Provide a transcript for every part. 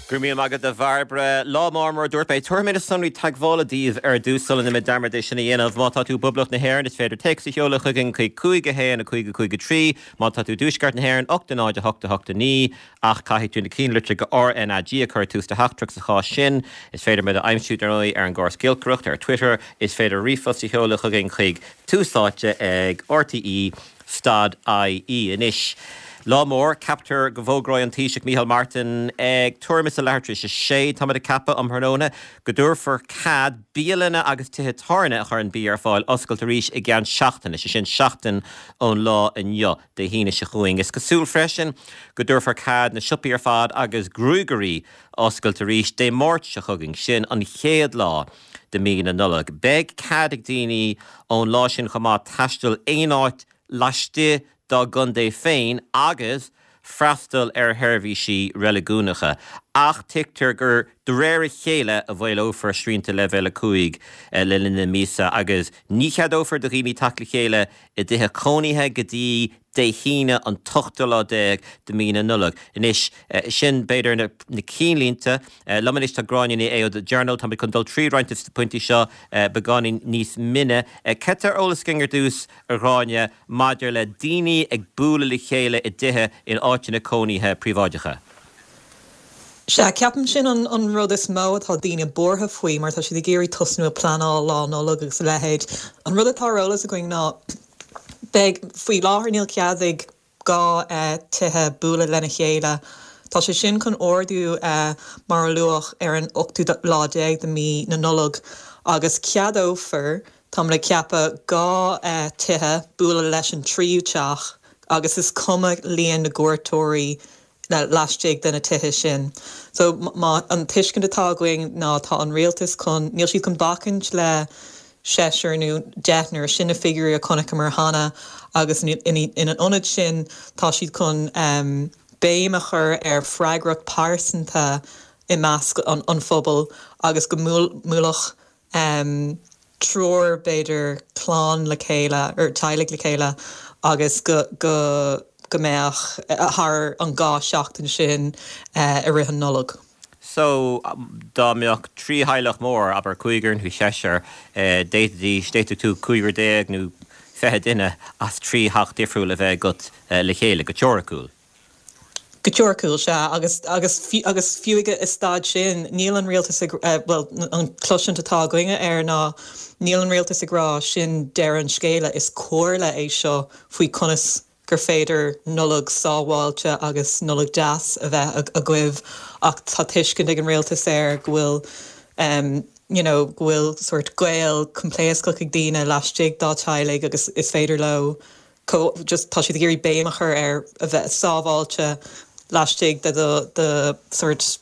Go raibh míle maith agat a Bhairbre. Lá mór mar a dúirt mé. Tabharfaidh mé na sonraí teagmhála daoibh ar dtús sula ndéanaim dearmad é sin a dhéanamh. Má tá tú i bPoblacht na hÉireann is féidir téacs a sheoladh chugainn chuig 5 1 5 5 3. Má tá tú i dTuaisceart na hÉireann 8 0 8 8 9. Ach caithfidh tú na cinnlitreacha RnaG a chur ag tús do theachtaireacht sa chás sin. Is féidir muid a aimsiú dar ndóigh ar an gcóras giolcaireachta ar Twitter. Is féidir ríomhphost a sheoladh chugainn chuig tús áite ag RTÉ. Stad IE. Anois, lá mór, ceaptar go bhfógróidh an Taoiseach Micheál Martin ag tuairim is a leathuair tar éis a sé, táimid ag ceapadh, um thráthnóna, go dtabharfar cead bialanna agus tithe tábhairne a chuireann bia ar fáil oscailt arís i gceann seachtaine, sé sin seachtain ón lá inniu, Dé hAoine seo chugainn. Is cosúil freisin go dtabharfar cead na siopaí ar fad agus gruagairí oscailt arís Dé Máirt seo chugainn, sin an chéad lá de mí na Nollag. Beidh cead ag daoine ón lá sin chomh maith taisteal aon áit laistigh dá gcontae féin agus freastal ar sheirbhísí reiligiúnacha, ach tuigtear gur de réir a chéile a mhaolófar srianta Leibhéal 5 le linn na míosa agus ní cheadófar do dhaoine teacht le chéile i dtithe cónaithe go dtí Dé hAoine an t-ochtú lá déag de mí na Nollag. Anois, sin b'fhéidir na cinnlínte. Liom anois tá Gráinne Ní Aodha ó The Journal. Táimid chun dul trí roinnt de na pointí seo beagáinín níos mine. Cad tá ar eolas againn ar dtús, a Ghráinne, maidir le daoine ag bualadh le chéile i dtithe in áiteanna cónaithe príobháideacha? Sea, ceapaim sin an rud is mó atá daoine buartha faoi mar tá siad ag iarraidh tosnú ag pleanáil Lá Nollag agus a leithéid. An rud atá ar eolas againn ná Beidh, faoi láthair níl cead ag 2 tithe bualadh lena chéile. Tá sé sin chun ardú mar a luadh ar an ochtú lá déag de mí na Nollag agus ceadófar, táimid ag ceapadh, 2 tithe bualadh leis an tríú teach agus is cuma líon na gcuairteoirí laistigh de na tithe sin. So má, an tuiscint atá againn ná tá an rialtas chun, níl siad chun bacaint le seisear nó deichniúr, sin na figiúirí a chonaiceamar cheana agus ina ionad sin tá siad chun béim a chur ar freagracht pearsanta i measc an phobail agus go mbuailfeadh triúr, b'fhéidir, clann le chéile, or teaghlaigh le chéile agus go, go, go mbeadh thar an 2 seachtain sin i rith an Nollag. So, dá mbeadh 3 theaghlach mór, abair cúigear nó seisear, d'fhéadfaidís, d'fhéadfadh tú cúigear déag nó 20 duine as 3 theach difriúil a bheith agat le chéile, go teoiriciúil. Go teoiriciúil, sea, agus, agus, agus fiú ag an staid sin, níl an rialtas ag, bhuel, an chloisint atá againne air ná níl an rialtas ag rá sin deireadh an scéala, is comhairle é seo faoi conas gur féidir Nollaig sábháilte agus Nollaig deas a bheith agaibh ach tá tuiscint ag an rialtas air go bhfuil you know go bhfuil sórt gaol coimpléascach ag daoine laistigh dá teaghlaigh agus is féidir leo just tá siad ag iarraidh béim a chur ar a bheith sábháilte laistigh de do do sórt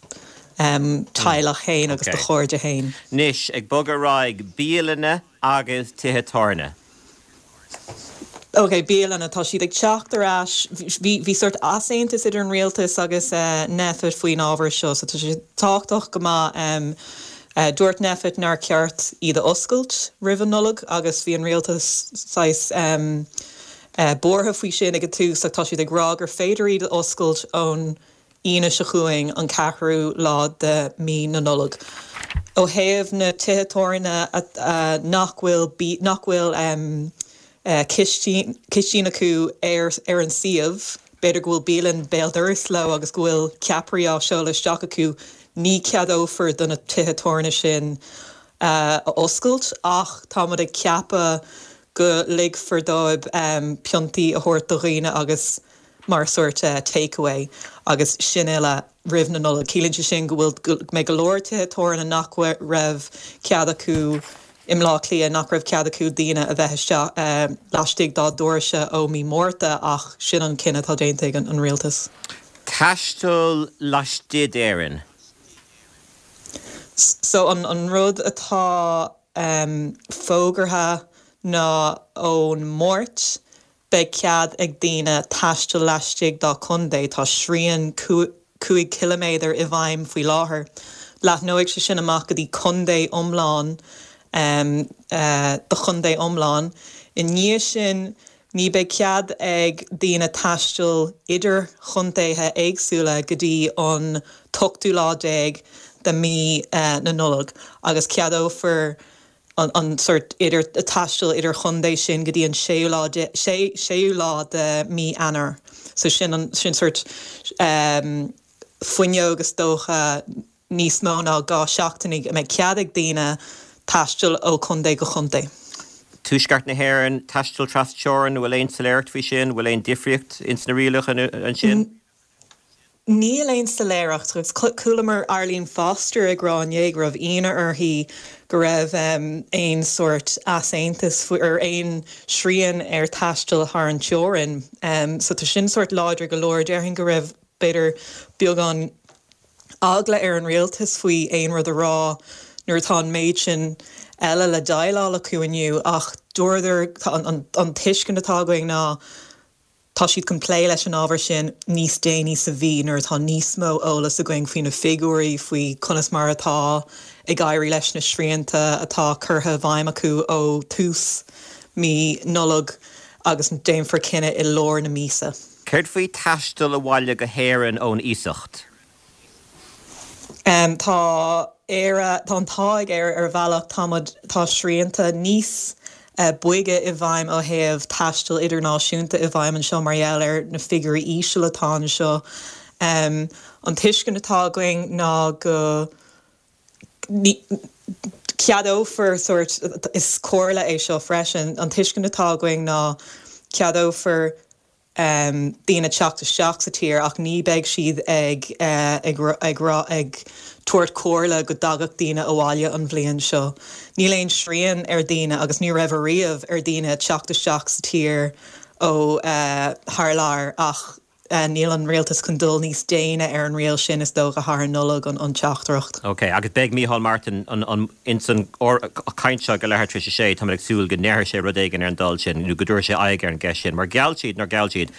teaghlach féin agus do chairde féin. Anois, ag bogadh ar aghaidh, bialanna agus tithe tábhairne. Ok, bialanna, tá siad ag teacht ar ais. Bhí bhí sórt easaontas idir an rialtas agus Nphet faoin ábhar seo, so tá sé tábhachtach go maith. Dúirt Nphet nár cheart iad a oscailt roimh an Nollaig agus bhí an rialtas saghas buartha faoi sin ag an tús ach tá siad ag rá gur féidir iad a oscailt ón Aoine seo chugainn, an ceathrú lá de mí na Nollag. Ó thaobh na tithe tábhairne nach bhfuil nach bhfuil cistín acu ar an suíomh, b'fhéidir go bhfuil bialann béal dorais leo agus go bhfuil ceapairí á seoladh isteach acu, ní cheadófar do na tithe tábhairne sin a oscailt ach táimid ag ceapadh go ligfear dóibh piontaí a thabhairt do dhaoine agus mar sórt takeaway agus sin uile roimh na Nollag. Ciallaíonn sé sin go bhfuil, go mbeidh go leor tithe tábhairne nach raibh cead acu i mBleá Cliath, nach raibh cead acu daoine a bheith isteach laistigh dá ddoirse ó mí Márta ach sin an cinneadh atá déanta ag an rialtas. Taisteal laistigh d'Éirinn. So an rud atá fógartha ná ón Máirt Beidh cead ag daoine taisteal laistigh dá contae, tá srian 5 chiliméadar i bhfeidhm faoi láthair. Leathnóidh sé sin amach go dtí contae iomlán, do chontae iomlán. I ndiaidh sin, Ní beidh cead ag daoine taisteal idir chontaetha éagsúla go dtí an t-ochtú lá déag de mí na Nollag agus ceadófar an sort idir taisteal idir chontae sin go dtí an séú lá séú lá de mí Eanáir. So sin an sin sort fuinneog is dócha. níos mó ná 2 seachtain a mbeidh cead ag daoine taisteal ó chontae go chontae. Tuaisceart na hÉireann, taisteal tras-teorann, an bhfuil aon soiléireacht faoi sin? An bhfuil aon difríocht ins na rialacha ansin? Níl aon soiléireacht agus chualamar Arlene Foster ag rá inné go raibh ionadh uirthi go raibh aon sórt easaontas ar aon srian ar taisteal thar an teorainn. So tá sin sórt láidir go leor. Déarfainn go raibh b'fhéidir beagán eagla ar an rialtas faoi aon rud a rá nuair atá an méid sin eile le déileáil acu inniu ach dúradar, an tuiscint atá againn ná tá siad chun plé leis an ábhar sin níos déanaí sa mhí nuair atá níos mó eolas againn faoi na figiúirí, faoi conas mar atá ag éirí leis na srianta atá curtha i bhfeidhm acu ó tús mí Nollag agus déanfar cinneadh i lár na míosa. Céard faoi taisteal abhaile go hÉirinn ón iasacht? Tá Éire, tá an t-ádh ag Éire ar bhealach, tá muid, tá srianta níos boige i bhfeidhm ó thaobh taisteal idirnáisiúnta i bhfeidhm anseo mar gheall ar na figiúirí íseal atá anseo. An tuiscint atá againn ná go ceadófar sórt, is comhairle é seo freisin, an tuiscint atá againn ná ceadófar daoine teacht isteach sa tír ach ní beidh siad ag ag ag rá ag tabhairt comhairle go dtagadh daoine abhaile an bhliain seo. Níl aon srian ar daoine agus ní raibh ariamh ar daoine teacht isteach sa tír ó thar lear ach níl an rialtas chun dul níos déine ar an riail sin is dócha thar an Nollaig an teachtaireacht. Ok, agus beidh Micheál Martin ins an chaint seo ag a leathuair tar éis a sé, táimid ag súil go ndéarfaidh sé rud éigin ar an dul sin, nó go dtabharfaidh sé aghaidh ar an gceist sin, mar gheall siad, nár gheall siad,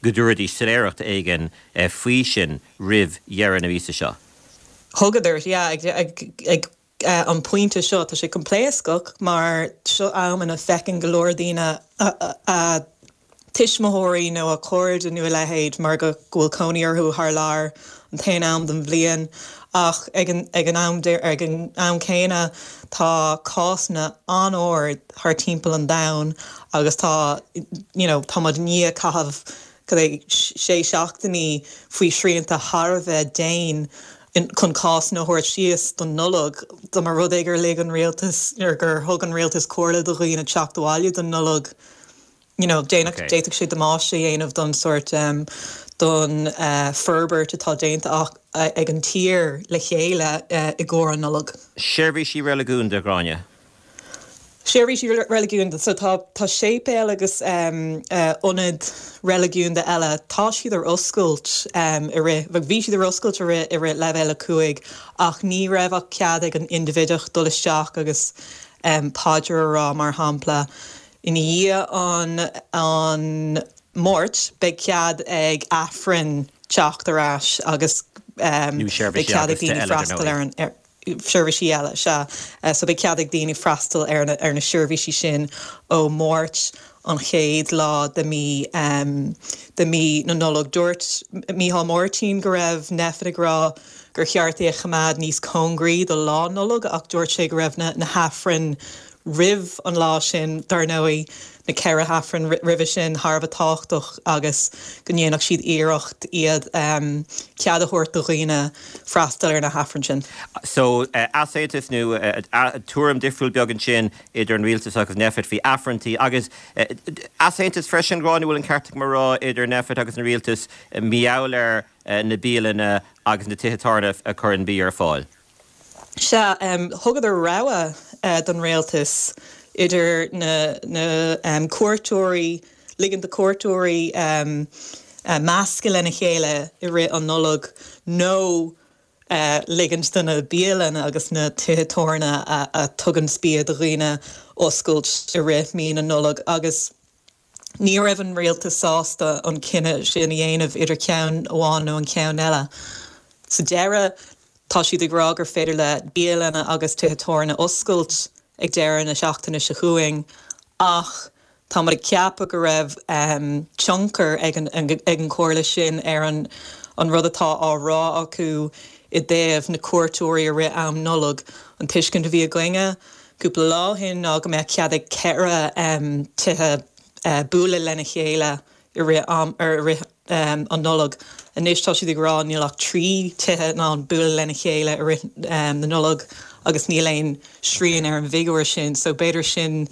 go dtabharfaidís soiléireacht éigin faoi sin roimh dheireadh na míosa seo. Thugadar, yeah, ag an pointe seo, tá sé coimpléascach mar seo am ina bhfeiceann go leor daoine a tuismitheoirí nó a cairde nó a leithéid mar go bhfuil cónaí orthu thar lear an t-aon am den bhliain ach ag an ag an am ag an am céanna tá cásanna an-ard thar timpeall an domhain agus tá you know tá muid i ndiaidh caitheamh cad é sé seachtainí faoi shrianta thar a bheith dian chun cásanna a thabhairt síos don Nollaig dá mba rud é gur lig an rialtas nó gur thug an rialtas comhairle do dhaoine teacht abhaile don Nollaig you know, déanfadh, d'fhéadfadh sé damáiste a dhéanamh don sórt, don forbairt atá déanta ag an tír le chéile i gcomhair an Nollag. Seirbhísí reiligiúnda, Gráinne. Seirbhísí reiligiúnda, so tá, tá séipéil agus ionaid reiligiúnda eile, tá siad ar oscailt i rith, bhí siad ar oscailt i rith, i rith leibhéal 5 ach ní raibh ach cead ag an indibhideach dul isteach agus paidir a rá mar shampla. I ndiaidh an an Máirt, beidh cead ag Aifreann teacht ar ais agus beidh cead ag daoine freastal ar an seirbhísí eile, sea. So beidh cead ag daoine freastal ar na ar na seirbhísí sin ó Máirt an chéad lá de mí de mí na Nollag. Dúirt Micheál Máirtín go raibh Nphet ag rá gur cheart é a choimeád níos cóngaraí do Lá Nollag ach dúirt sé go raibh na na hAifrinn roimh an lá sin, dar ndóigh, na 4 hAifreann roimhe sin thar a bheith tábhachtach agus go ndéanfadh siad iarracht iad cead a thabhairt do dhaoine freastal ar na hAifrinn sin. So, easaontas nó tuairim difriúil beag ansin idir an rialtas agus Nphet faoi Aifreanntaí agus easaontas freisin, Gráinne, bhfuil an ceart agam a rá, idir Nphet agus an rialtas mar gheall ar na bialanna agus na tithe tábhairne a chuireann bia ar fáil. Sea, thugadar rogha don rialtas idir na cuairteoirí, ligean do cuairteoirí meascadh lena chéile i rith an Nollag nó ligint do na bialanna agus na tithe tábhairne a tugann bia do dhaoine oscailt i rith mí na Nollag agus Ní raibh an rialtas sásta an cinneadh sin a dhéanamh idir ceann amháin nó an ceann eile. Sa deireadh, tá siad ag rá gur féidir le bialanna agus tithe tábhairne oscailt ag deireadh na seachtaine seo chugainn ach. Táimid ag ceapadh go raibh tionchar ag an ag an chomhairle sin ar an an rud atá á rá acu i dtaobh na cuairteoirí i rith am Nollag. An tuiscint a bhí againne cúpla lá ó shin ná go mbeadh cead ag 4 tithe bualadh lena chéile i rith am i rith an Nollag. Anois tá siad ag rá níl ach 3 tithe in ann bualadh lena chéile i rith na Nollag agus níl aon srian ar an bhfigiúr sin so b'fhéidir sin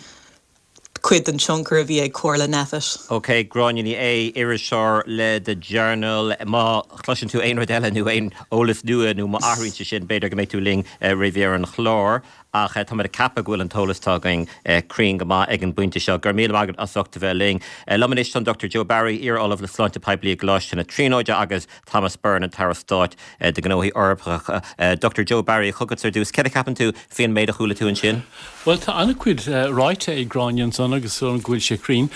cuid den tionchar a bhí ag comhairle Nphet. OK, Gráinne Ní Aodha, iriseoir le The Journal, má chloiseann tú aon rud eile nó aon eolas nua nó má athraíonn sé sin, b'fhéidir go mbeidh tú linn roimh dheireadh an chláir. Ach táimid ag ceapadh go bhfuil an t-eolas atá againn cruinn go maith ag an bpointe seo. Go raibh míle maith agat as ucht a bheith linn. Liom anois tá an Dr Joe Barry, iar-Ollamh le Sláinte Poiblí i gColáiste na Tríonóide agus Thomas Byrne, an tAire Stáit do Ghnóthaí Eorpacha. Dr Joe Barry, chugatsa ar dtús. Céard a cheapann tú faoin méid a chuala tú ansin? Bhuel, tá an-chuid ráite ag Gráinne ansan agus is dóigh liom go bhfuil sé cruinn.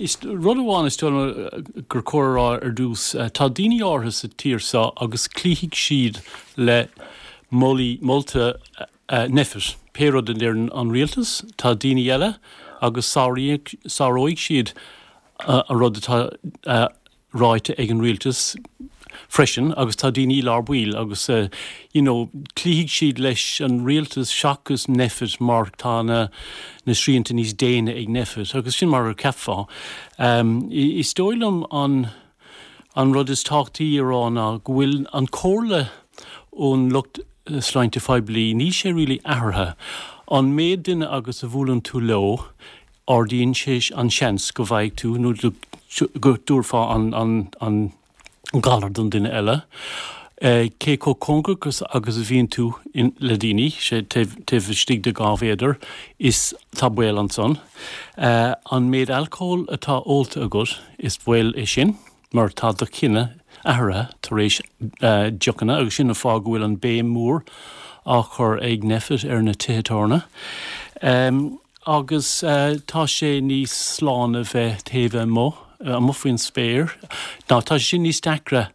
Is rud amháin is dóigh liom gur chóir a rá ar dtús, tá daoine áirithe sa tír seo agus cloífidh siad le moltaí, molta Nphet, pé rud a deireann an rialtas. Tá daoine eile agus sáróidh siad an rud atá ráite ag an rialtas freisin agus tá daoine i lár baill agus you know cloífidh siad leis an rialtas seachas Nphet mar tá na na srianta níos déine ag Nphet agus sin mar a cheapfá. Is dóigh liom an an rud is tábhachtaí a rá ná go bhfuil an comhairle ón lucht sláinte phoiblí, níl sé really athraithe. An méid duine agus a bhuaileann tú leo, ardaíonn sé an seans go bhfaighidh tú nó go dtabharfá an galar don duine eile. Cé chomh cóngarach agus a bhíonn tú le daoine, sé taobh istigh de 2 mhéadar, is tá baol ansan. An méid alcóil atá ólta agat, is baol é sin. mar tá do chinneadh athraithe tar éis deochanna agus sin an fáth go bhfuil an béim mhór á chur ag Nphet ar na tithe tábhairne. Agus tá sé níos sláine bheith taobh amuigh, amuigh faoin spéir. Ná tá sé sin níos deacra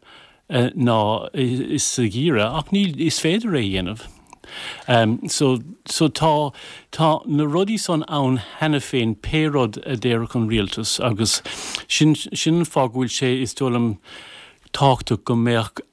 ná sa gheimhreadh ach níl, is féidir é a dhéanamh. So, so tá, tá na rudaí san ann cheana féin pé rud a déarfadh an rialtas agus sin, sin an fáth go bhfuil sé, is dóigh liom, tábhachtach go mbeadh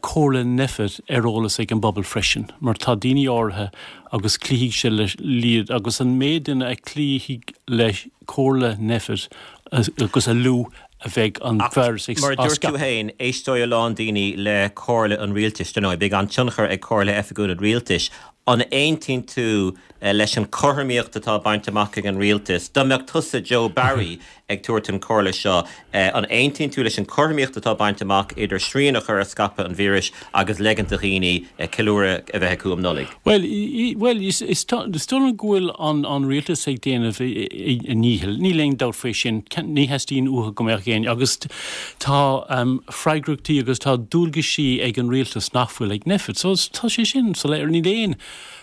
comhairle Nphet ar eolas ag an bpobal freisin mar tá daoine áirithe agus cloífidh siad leis iad agus an méid duine a chloífidh le comhairle Nphet agus a lú a bheidh an víreas ag. Mar a dúirt tú féin, éisteoidh a lán daoine le comhairle an rialtais, dar ndóigh. Beidh an-tionchar ag comhairle oifigiúil an rialtais. An aontaíonn tú leis an chothromaíocht atá bainte amach ag an rialtas? Dá mbeadh tusa, Joe Barry, ag tabhairt an chomhairle seo, an aontaíonn tú leis an chothromaíocht atá bainte amach idir srian a chur ar scaipeadh an víris agus leigint do dhaoine ceiliúradh a bheith acu um Nollaig? Bhuel, bhuel, is dóigh liom go bhfuil an rialtas ag déanamh a ndícheall. Níl aon dabht faoi sin. Ní theastaíonn uathu go mbeadh éinne, agus tá freagrachtaí agus tá dualgaisí ag an rialtas nach bhfuil ag Nphet. So tá sé sin soiléir. Níl aon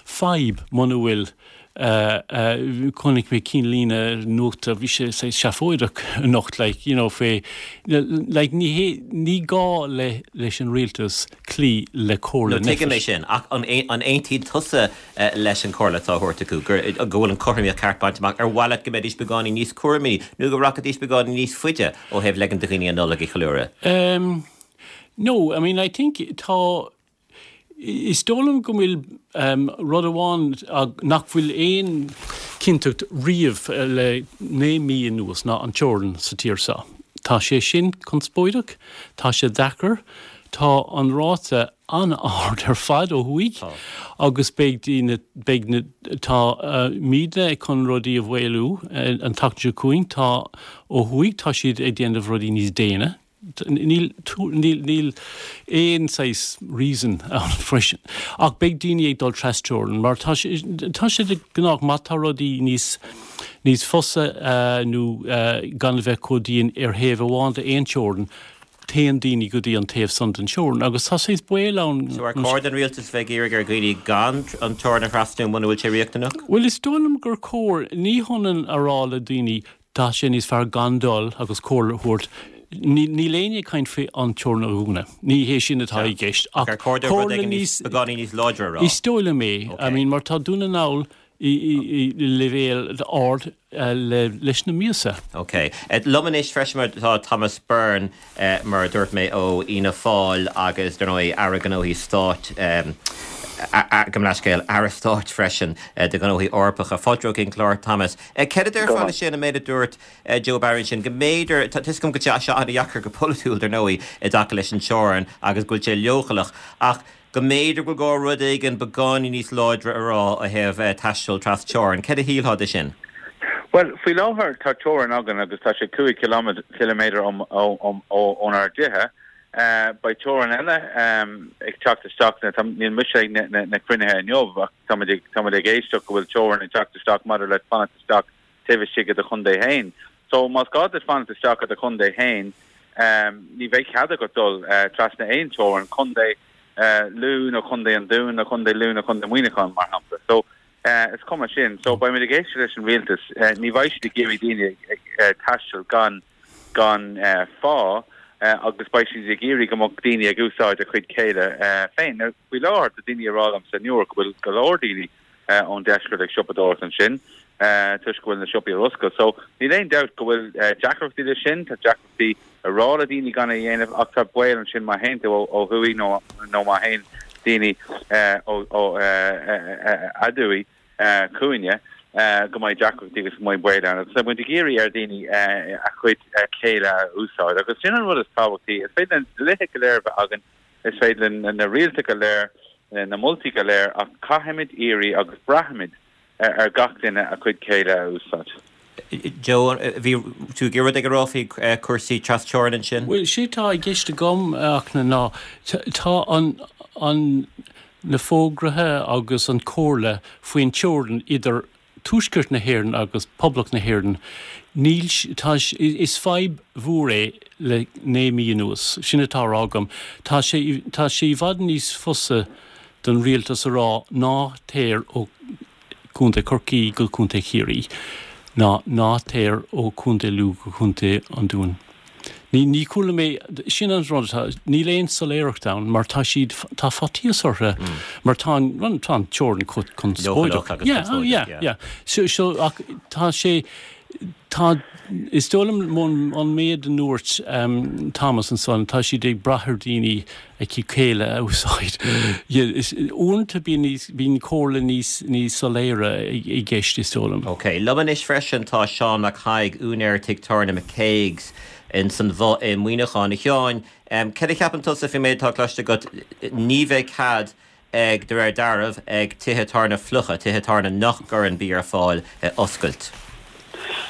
fadhb muna bhfuil Chonaic mé cinnlíne nuachta, bhí sé saghas seafóideach anocht, like, you know, fé, like, ní hé, ní gá le, leis an rialtas cloí le comhairle No, tuigim é sin, ach an, an aontaíonn tusa leis an chomhairle atá á thabhairt acu, gur, go bhfuil an chothromaíocht ceart bainte amach? Ar mhaith leat go mbeidís beagáinín níos cúramaí, nó go rachaidís beagáinín níos faide ó thaobh leigint do dhaoine an Nollaig a cheiliúradh? Um, no, I mean, I think tá, Is dóigh liom go bhfuil rud amháin nach bhfuil aon chinnteacht riamh le 9 mí anuas ná an teorainn sa tír seo. Tá sé sin conspóideach, tá sé deacair, tá an ráta an-ard ar fad ó thuaidh agus beidh daoine, beidh na, tá muidne chun rudaí a mhaolú an tseachtain seo chugainn, tá ó thuaidh tá siad ag déanamh rudaí níos déine. Níl, níl, níl aon saghas reason ann freisin. Ach beidh daoine ag dul trasteorann mar tá sé, tá sé de gnách má tá rudaí níos, níos fusa nó gan a bheith chomh dian ar thaobh amháin d'aon teorainn, téann daoine go dtí an taobh san den teorainn agus tá saghas baol ann. So ar chóir don rialtas bheith ag iarraidh ar dhaoine gan an teorainn a thrasnú muna bhfuil sé riachtanach? Bhuel is dóigh liom gur chóir, ní hionann a rá le daoine Tá sé níos fearr gan dul agus comhairle a thabhairt. Níl éinne ag caint faoi an teorainn a dhúnadh. Ní hé sin atá i gceist. Ach ar chóir dóibh rud éigin níos, beagáinín níos láidre a rá? Is dóigh liom é. I mean, mar tá Dún na nGall. I leibhéal ard leis na míosa. Ok. Liom anois freisin mar tá Thomas Byrne, mar a dúirt mé, ó Fhianna Fáil agus, dar ndóigh, Aire Gnóthaí Stáit, gabh mo leithscéal, Aire Stáit freisin do Ghnóthaí Eorpacha. Fáilte romhat chuig an chlár, Thomas. Céard a déarfá leis sin, an méid a dúirt Joe Barry ansin, go mb'fhéidir, tá 'fhios agam go bhfuil sé an-dheacair go polaitiúil, dar ndóigh, i dtaca leis an teorainn agus go bhfuil sé leochaileach, ach go mb'fhéidir go bhfuil gá rud éigin beagáinín níos láidre a rá ó thaobh taisteal tras-teorann. Céard a shílfeá de sin? Bhuel, faoi láthair tá teorainn againn agus tá sé 5 chiliméadar ónár dtithe. Beidh teorainn eile ag teacht isteach, níl mise ag na cruinnithe inniu ach táimid ag éisteacht go bhfuil teorainn ag teacht isteach maidir le fanacht isteach taobh istigh i do chontae féin. So más gá duit fanacht isteach i do chontae féin, ní bheidh cead agat dul trasna aon teorainn, contae Lú nó contae an Dúin nó contae Lú nó contae Muineacháin, mar shampla. So is cuma sin. So beimid ag éisteacht leis an rialtas. Ní bheidh siad ag iarraidh daoine ag taisteal gan gan fáth agus beidh siad ag iarraidh go mbeadh daoine ag úsáid a chuid céille féin. Now faoi láthair tá daoine ag rá liomsa i Newark go bhfuil go leor daoine ón deisceart ag siopadóireacht ansin toisc go bhfuil na siopaí ar oscailt. So níl aon dabht go bhfuil deacrachtaí leis sin, tá deacrachtaí a rá le daoine gan é a dhéanamh ach tá baol ansin má théann tú ó thuaidh nó nó má théann daoine ó aduaidh chugainne go mbeidh deacrachtaí agus go mbeidh baol ann. Agus tá muid ag iarraidh ar dhaoine a chuid céille a úsáid agus sin an rud is tábhachtaí. Is féidir na dlíthe go léir a bheith againn, Is féidir linn na rialacha go léir, na moltaí go léir ach caithfimid iarraidh agus braithimid ar gach duine a chuid céille a úsáid. Joe, bhí tú ag iarraidh rud éigin a rá faoi chúrsaí trasteorann ansin? Bhuel, sé tá i gceist agam, a Fhachtna, ná tá an, an, na fógraithe agus an comhairle faoin teorainn idir Tuaisceart na hÉireann agus Poblacht na hÉireann, níl, tá, is fadhb mhór é le 9 mí anuas. Sin atá á rá agam. Tá sé, tá sé i bhfad níos fusa don rialtas a rá ná téir ó Contae Chorcaí go Contae Chiarraí ná ná téir ó Contae Lú go Contae an Dúin. Ní, ní chuala mé, sin an rud atá, níl aon soiléireacht ann mar tá siad, tá faitíos orthu mar tá an, tá an teorainn chomh conspóideach. Leochaileach agus Yeah, oh conspóideach, yeah, yeah. yeah. So, so, ach tá sé, tá, is dóigh liom an méid a ndúirt Thomas ansan, tá siad ag brath ar daoine a gcuid céille a úsáid. Uaireanta bíonn níos, bíonn comhairle níos, níos soiléire i gceist, is dóigh liom. Ok. Liom anois freisin tá Seán Mac Thaidhg, úinéir tigh tábhairne McCague's ins an Bhoth i Muineachán. A Sheáin, céard a cheapann tusa faoin méid atá cloiste agat? Ní bheidh cead ag, de réir dealraimh, ag tithe tábhairne fliucha, tithe tábhairne nach gcuireann bia ar fáil, oscailt.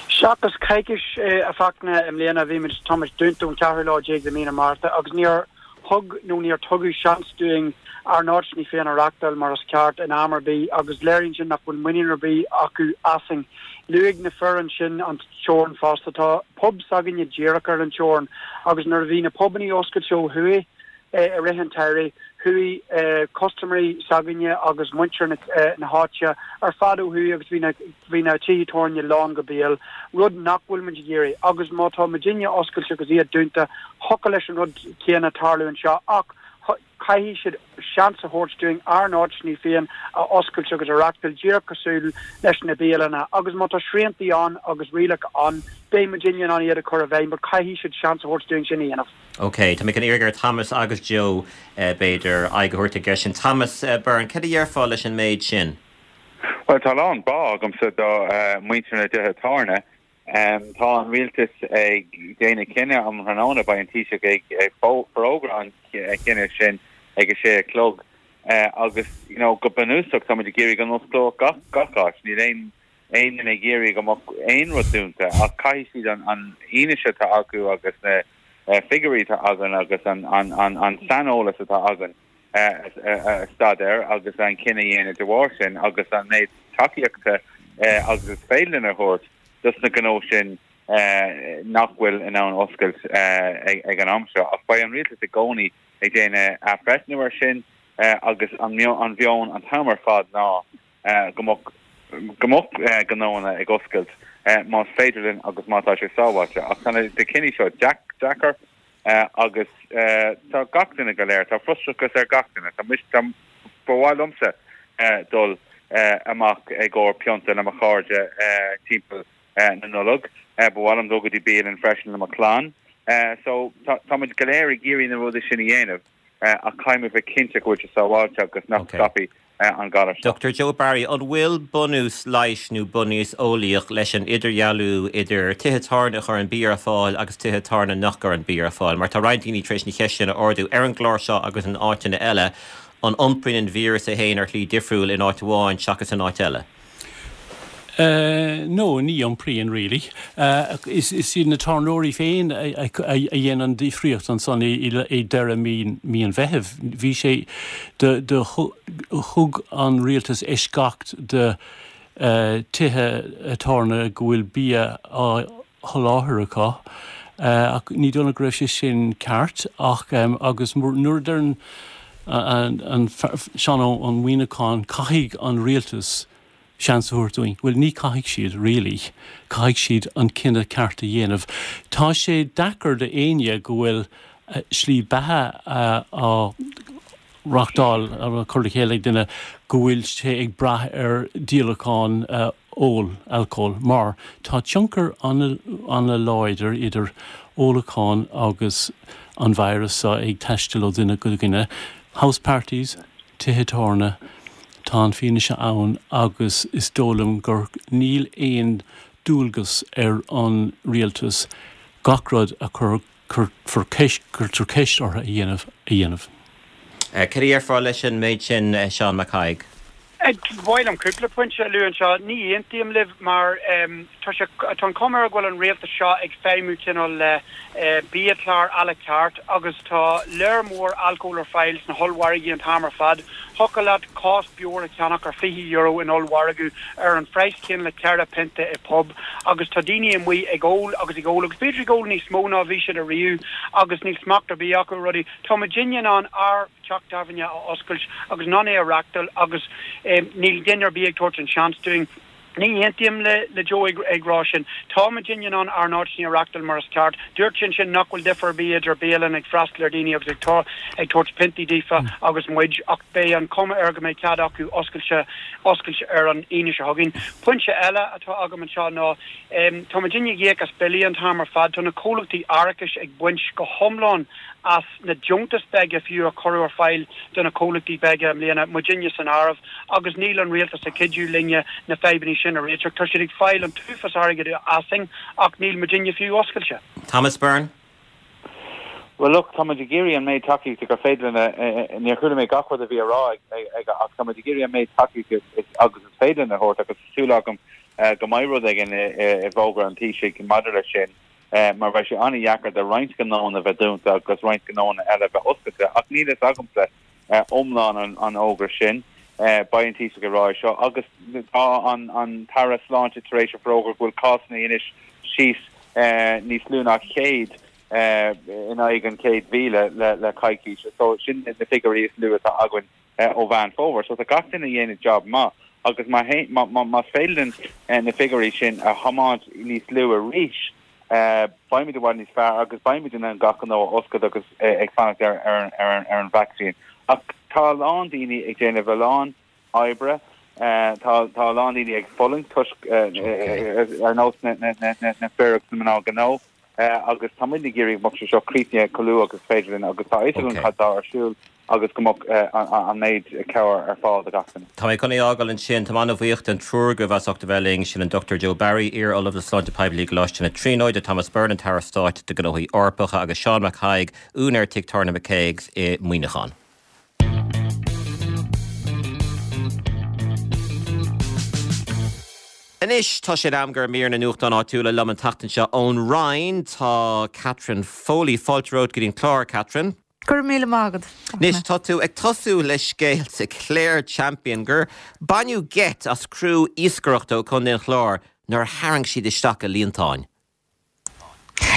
Seachas coicís a Fhachtna i mbliana bhí muid, tá muid dúnta ón ceathrú lá déag de mí na Márta agus níor thug nó níor tugadh seans dúinn ár n-áiteanna féin a reachtáil mar is ceart in am ar bith agus léiríonn sin nach bhfuil muinín ar bith acu asainn. Luaigh na fir ansin an teorainn fosta. Tá pub s'againne díreach ar an teorainn agus nuair a bhí na pubannaí oscailte ó thuaidh, i rith an tsamhraidh. Chuaigh custaiméirí s'againne agus muintir na háite ar fad ó thuaidh agus bhí na bhí na tithe tábhairne lán go béal, rud nach bhfuil muid ag iarraidh. Agus má tá muidinne oscailte agus iad dúnta, thiocfadh leis an rud céanna tarlú anseo ach caithfidh siad seans a thabhairt dúinn ár n-áiteanna féin a oscailt agus a reachtáil díreach cosúil leis na bialanna. Agus má tá sriantaí ann agus rialacha ann, beidh muidinne in ann iad a chur i bhfeidhm but caithfidh siad seans a thabhairt dúinn sin a dhéanamh. Ok, tá mé chun iarraidh ar Thomas agus Joe, b'fhéidir, aghaidh a thabhairt ar an gceist sin. Thomas Byrne, céard a dhéarfá leis an méid sin? Bhuel, tá a lán bá agamsa do mhuintir na dtithe tábhairne. Tá an rialtas ag déanamh cinneadh um thráthnóna, beidh an Taoiseach ag forógra an chinnidh sin ag a sé a chlog agus, you know, go bunúsach táimid ag iarraidh go n-osclódh gach gach áit. Níl aon aon duine ag iarraidh go mbeadh aon rud dúnta ach caithfidh siad an an fhianaise atá acu agus na figiúirí atá againn agus an saineolas atá againn a staidéar agus an cinneadh a dhéanamh de bharr sin agus an méid tacaíochta agus is féidir linn a thabhairt dos na gnó sin nach bhfuil in ann oscailt ag an am seo. Ach beidh an rialtas i gcónaí ag déanamh athbhreithniú ar sin agus an meon an t-am ar fad ná go mbeadh go mbeadh gnóanna ag oscailt más féidir linn agus má tá sé sábháilte. Ach tá na cinní seo deacair agus tá gach duine go léir, tá frustrachas ar gach duine. Tá mise, tá, ba mhaith liomsa dul. amach i gcomhair pionta le mo chairde timpeall na Nollag. Ba mhaith liom dul go dtí bialann freisin le mo chlann. So tá muid go léir ag iarraidh na rudaí sin a dhéanamh ach caithfidh muid bheith cinnte go bhfuil sé sábháilte agus nach scaipfidh an galar seo. Dr Joe Barry, an bhfuil bunús leighis nó bunús eolaíoch leis an idirdhealú idir tithe tábhairne a chuireann bia ar fáil agus tithe tábhairne nach gcuireann bia ar fáil? Mar tá roinnt daoine tar éis an cheist sin a ardú ar an gclár seo agus in áiteanna eile. An iompraíonn an víreas é féin ar shlí difriúil in áit amháin seachas in áit eile? No, ní iompraíonn really. Is iad na tábhairneoirí féin a dhein an difríocht ansan i deireadh mí an Mheithimh. Bhí sé, do thug an rialtas eisceacht do tithe tábhairne go bhfuil bia á sholáthar acu ach ní dóigh liom go raibh sé sin ceart ach agus nuair a deireann an Seán Ó Muimhneacháin caithfidh an rialtas seans a thabhairt dúinn, bhuel ní caithfidh siad really, caithfidh siad an cinneadh ceart a dhéanamh. Tá sé deacair do éinne go bhfuil slí beatha á reachtáil, á cur le chéile ag duine go bhfuil sé ag brath ar díolachán óil, alcól, mar tá tionchar an-láidir idir ólachán agus an virus seo ag taisteal ó dhuine go duine. House parties, tithe tábhairne, tá an fianaise ann agus is dóigh liom gur níl aon dualgas ar an rialtas gach rud a chur cuirfear ceist, cuirtear ceist orthu a dhéanamh, a dhéanamh. Cad a déarfá leis an méid sin, Seán Mac Thaidhg? Ba mhaith liom cúpla pointe a lua anseo. Ní aontaím libh mar tá sé, tá an chuma air go bhfuil an rialtas seo ag feidhmiú cineál le biachlár à la carte agus tá léar mór alcóil ar fáil sna hollmhargaí an t-am ar fad. Thiocfadh leat cás beoir a cheannach ar €20 in ollmhargadh ar an phraghas céanna le ceithre phionta i bpub agus tá daoine amuigh ag ól agus ag ól agus b'fhéidir ag ól níos mó ná bhí siad ariamh agus níl smacht ar bith acu ar rudaí. Tá muidinne in ann ár dteach tábhairne a oscailt agus in ann é a reachtáil agus níl duine ar bith ag tabhairt an seans dúinn. Ní aontaím le Joe ag rá sin. Tá muidinne in ann ár n-áiteanna a reachtáil mar is ceart. Dúirt sé ansin nach bhfuil difear ar bith idir bialann ag freastal ar dhaoine agus ag tabhairt piontaí daofa agus muid, ach beidh an chuma air go mbeidh cead acu oscailte oscailt ar an Aoine seo chugainn. Pointe eile atá agam anseo ná tá muidinne ag íoc as billí an t-am ar fad. Tá na comhlachtaí árachais ag baint go hiomlán as na deontais beaga fiú a cuireadh ar fáil do na comhlachtaí beaga i mbliana, muidinne san áireamh, agus níl an rialtas ag cuidiú linne na fadhbanna sin a réiteach. Tá siad ag fáil an t-uafás airgid asainn ach níl muidinne fiú oscailte. Thomas Byrne. Bhuel, look, tá muid ag iarraidh an méid tacaíochta gur féidir linn a, níor chuala mé gach rud a bhí á rá aige ach tá muid ag iarraidh an méid tacaíochta agus is féidir linn a thabhairt agus tá súil agam go mbeidh rud éigin i bhfógra an Taoisigh maidir leis sin. mar beidh sé an-dheacair do roinnt gnóanna bheith dúnta agus roinnt gnóanna eile bheith oscailte. Ach níl fhios agamsa iomlán an fhógra sin. Beidh an Taoiseach ag rá é seo agus tá an tAire Sláinte tar éis a forógra go bhfuil cásanna anois síos níos lú ná 100 in aghaidh an 100,000 le coicís. So sin na figiúirí is lú atá againn ó Mheán Fómhair. So tá gach duine ag déanamh job maith agus más féidir linn na figiúirí sin a thiomáint níos lú arís, beimid i bhfad níos fearr agus beimid in ann gach gnó a oscailt agus ag fanacht ar an vacsaín. Ach tá a lán daoine ag déanamh a lán oibre, tá a lán daoine ag fulaingt toisc ar nós na fir agus na mná gnó. Agus tá muid ag iarraidh go mbeadh sé seo críochnaithe chomh luath agus is féidir linn agus tá a fhios againn cad tá ar siúl agus go mbeadh an méid cabhair ar fáil do gach duine. Tá mé chun é a fhágáil ansin. Táim an-bhuíoch den triúr agaibh as ucht a bheith linn. Sin an Dr Joe Barry, iar-Ollamh le Sláinte Poiblí i gColáiste na Tríonóide, Thomas Byrne, an tAire Stáit do Ghnóthaí Eorpacha agus Seán Mac Thaidhg, úinéir Tigh Tábhairne McCague's i Muineachán. Anois tá sé in am do mhír na nuachtán áitiúla liom an tseachtain seo ón Rinn. Tá Catherine Foley. Fáilte romhat go dtí an clár, Catherine. Go raibh míle maith agat. Anois tá tú ag tosú le scéal sa Clare Champion gur baineadh geit as criú iascaireachta ó Chontae an Chláir nuair a tharraing siad isteach a líontáin.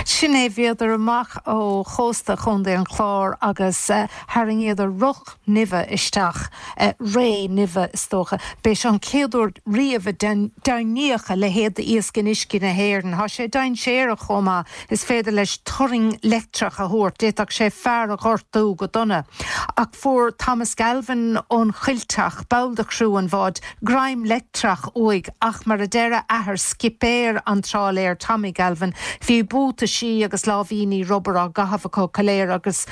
Sin é, bhíodar amach ó chósta Chontae an Chláir agus tharraingíodar roc nimhe isteach, ré nimhe is dócha. B'é seo an chéad uair riamh a deimhníodh a leithéid d'iasc in uiscí na hÉireann. Tá sé dainséarach chomh maith, is féidir leis turraing leictreach a thabhairt, d'fhéadfadh sé fear a ghortú go dona. Ach fuair Thomas Galvin ón Choillteach, ball de chriú an bháid, greim leictreach uaidh ach mar a deir a athair, scipéir an trálaeir Tommy Galvin, bhí buataisí agus láimhíní rubair á gcaitheamh acu go léir agus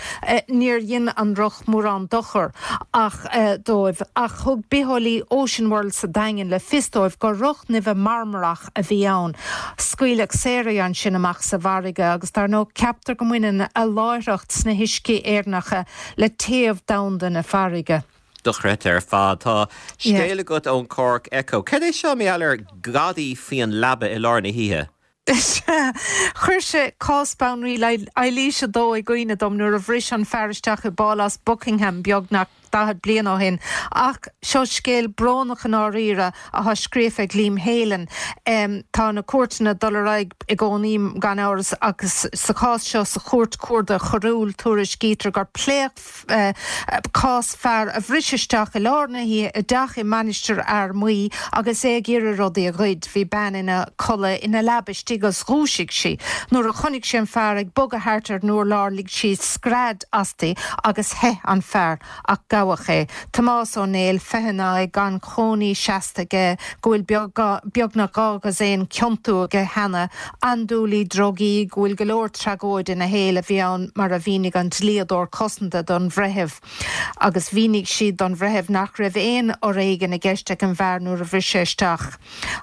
níor dhein an roc mórán dochair ach dóibh. Ach thug bitheolaí Ocean World sa Daingean le fios dóibh gur roc nimhe marmarach a bhí ann. Scaoileadh saor é ansin amach sa bhfarraige agus dar ndóigh ceaptar go mbaineann a láithreacht sna huiscí Éireannacha le téamh domhanda na farraige. Dochreidte ar fad. Tá scéal agat ón Cork Echo. Céard é seo mar gheall ar ghadaí faoi an leaba i lár na hoíche? Sea, chuir sé cás Bhanríon Eilís a Dó i gcuimhne dom nuair a bhris an fear isteach i bPálás Buckingham beagnach 40 bliain ó shin. Ach seo scéal brónach i ndáiríre atá scríofa ag Liam Whelan. Tá na cúirteanna ag dul ar aghaidh i gcónaí gan amhras agus sa chás seo sa Chúirt Chuarda Choiriúil tuairiscítear gur pléadh cás fear a bhris isteach i lár na hoíche i dteach i Mainistir Fhear Maí agus é ag iarraidh rudaí a ghoid. Bhí bean ina codladh ina leaba istigh agus dhúisigh sí. Nuair a chonaic sí an fear ag bogadh thart ar an urlár lig sí scread asti agus theith an fear ach gabhadh é. Tomás Ó Néill, 29, gan cónaí seasta aige, go bhfuil beagnach 12 dhosaen ciontú aige cheana, andúilí drugaí, go bhfuil go leor tragóid ina shaol a bhí ann mar a mhínigh an dlíodóir cosanta don bhreitheamh agus mhínigh siad don bhreitheamh nach raibh aon fhoréigean i gceist ag an bhfear nuair a bhris sé isteach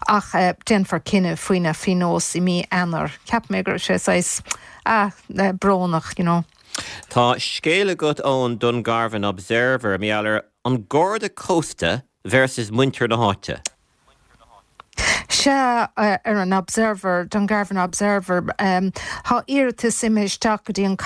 ach déanfar cinneadh faoina phionós i mí Eanáir. Cheap mé go raibh sé saghas, ah, brónach, you know. Tá scéal agat ón Dungarvan Observer, mar gheall ar an Garda Cósta versus muintir na háite. Sea, ar an Observer, Dungarvan Observer, tá iarratas imithe isteach go dtí an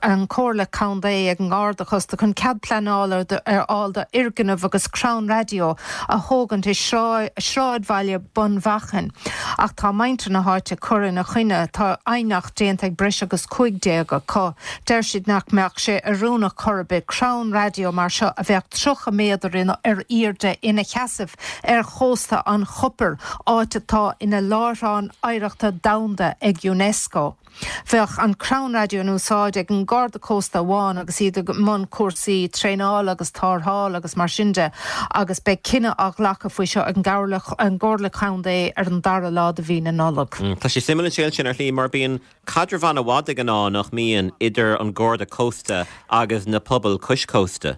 an Comhairle Contae ag an nGarda Cósta chun cead pleanála a fháil d'fhoirgneamh agus crann raidió a thógaint i sráidbhaile Bun Mhachain. Ach tá muintir na háite ag cur ina choinne. Tá aighneacht déanta ag breis agus 15 acu. Deir siad nach mbeadh sé oiriúnach chor ar bith crann raidió mar seo a bheadh 30 méadar ar airde ina sheasamh ar chósta an Chopair, áit atá ina Láithreán Oidhreachta Domhanda ag Unesco. Bheadh an crann raidió in úsáid ag an Garda Cósta amháin agus iad i mbun cúrsaí traenála agus tarrthála agus mar sin de agus beidh cinneadh á ghlacadh faoi seo ag an gComhairle Contae ar an dara lá de mhí na Nollag. Tá sé suimiúil an scéal sin ar shlí mar bíonn caidreamh an-mhaith de ghnáth, nach mbíonn, idir an Garda Cósta agus na pobail cois cósta.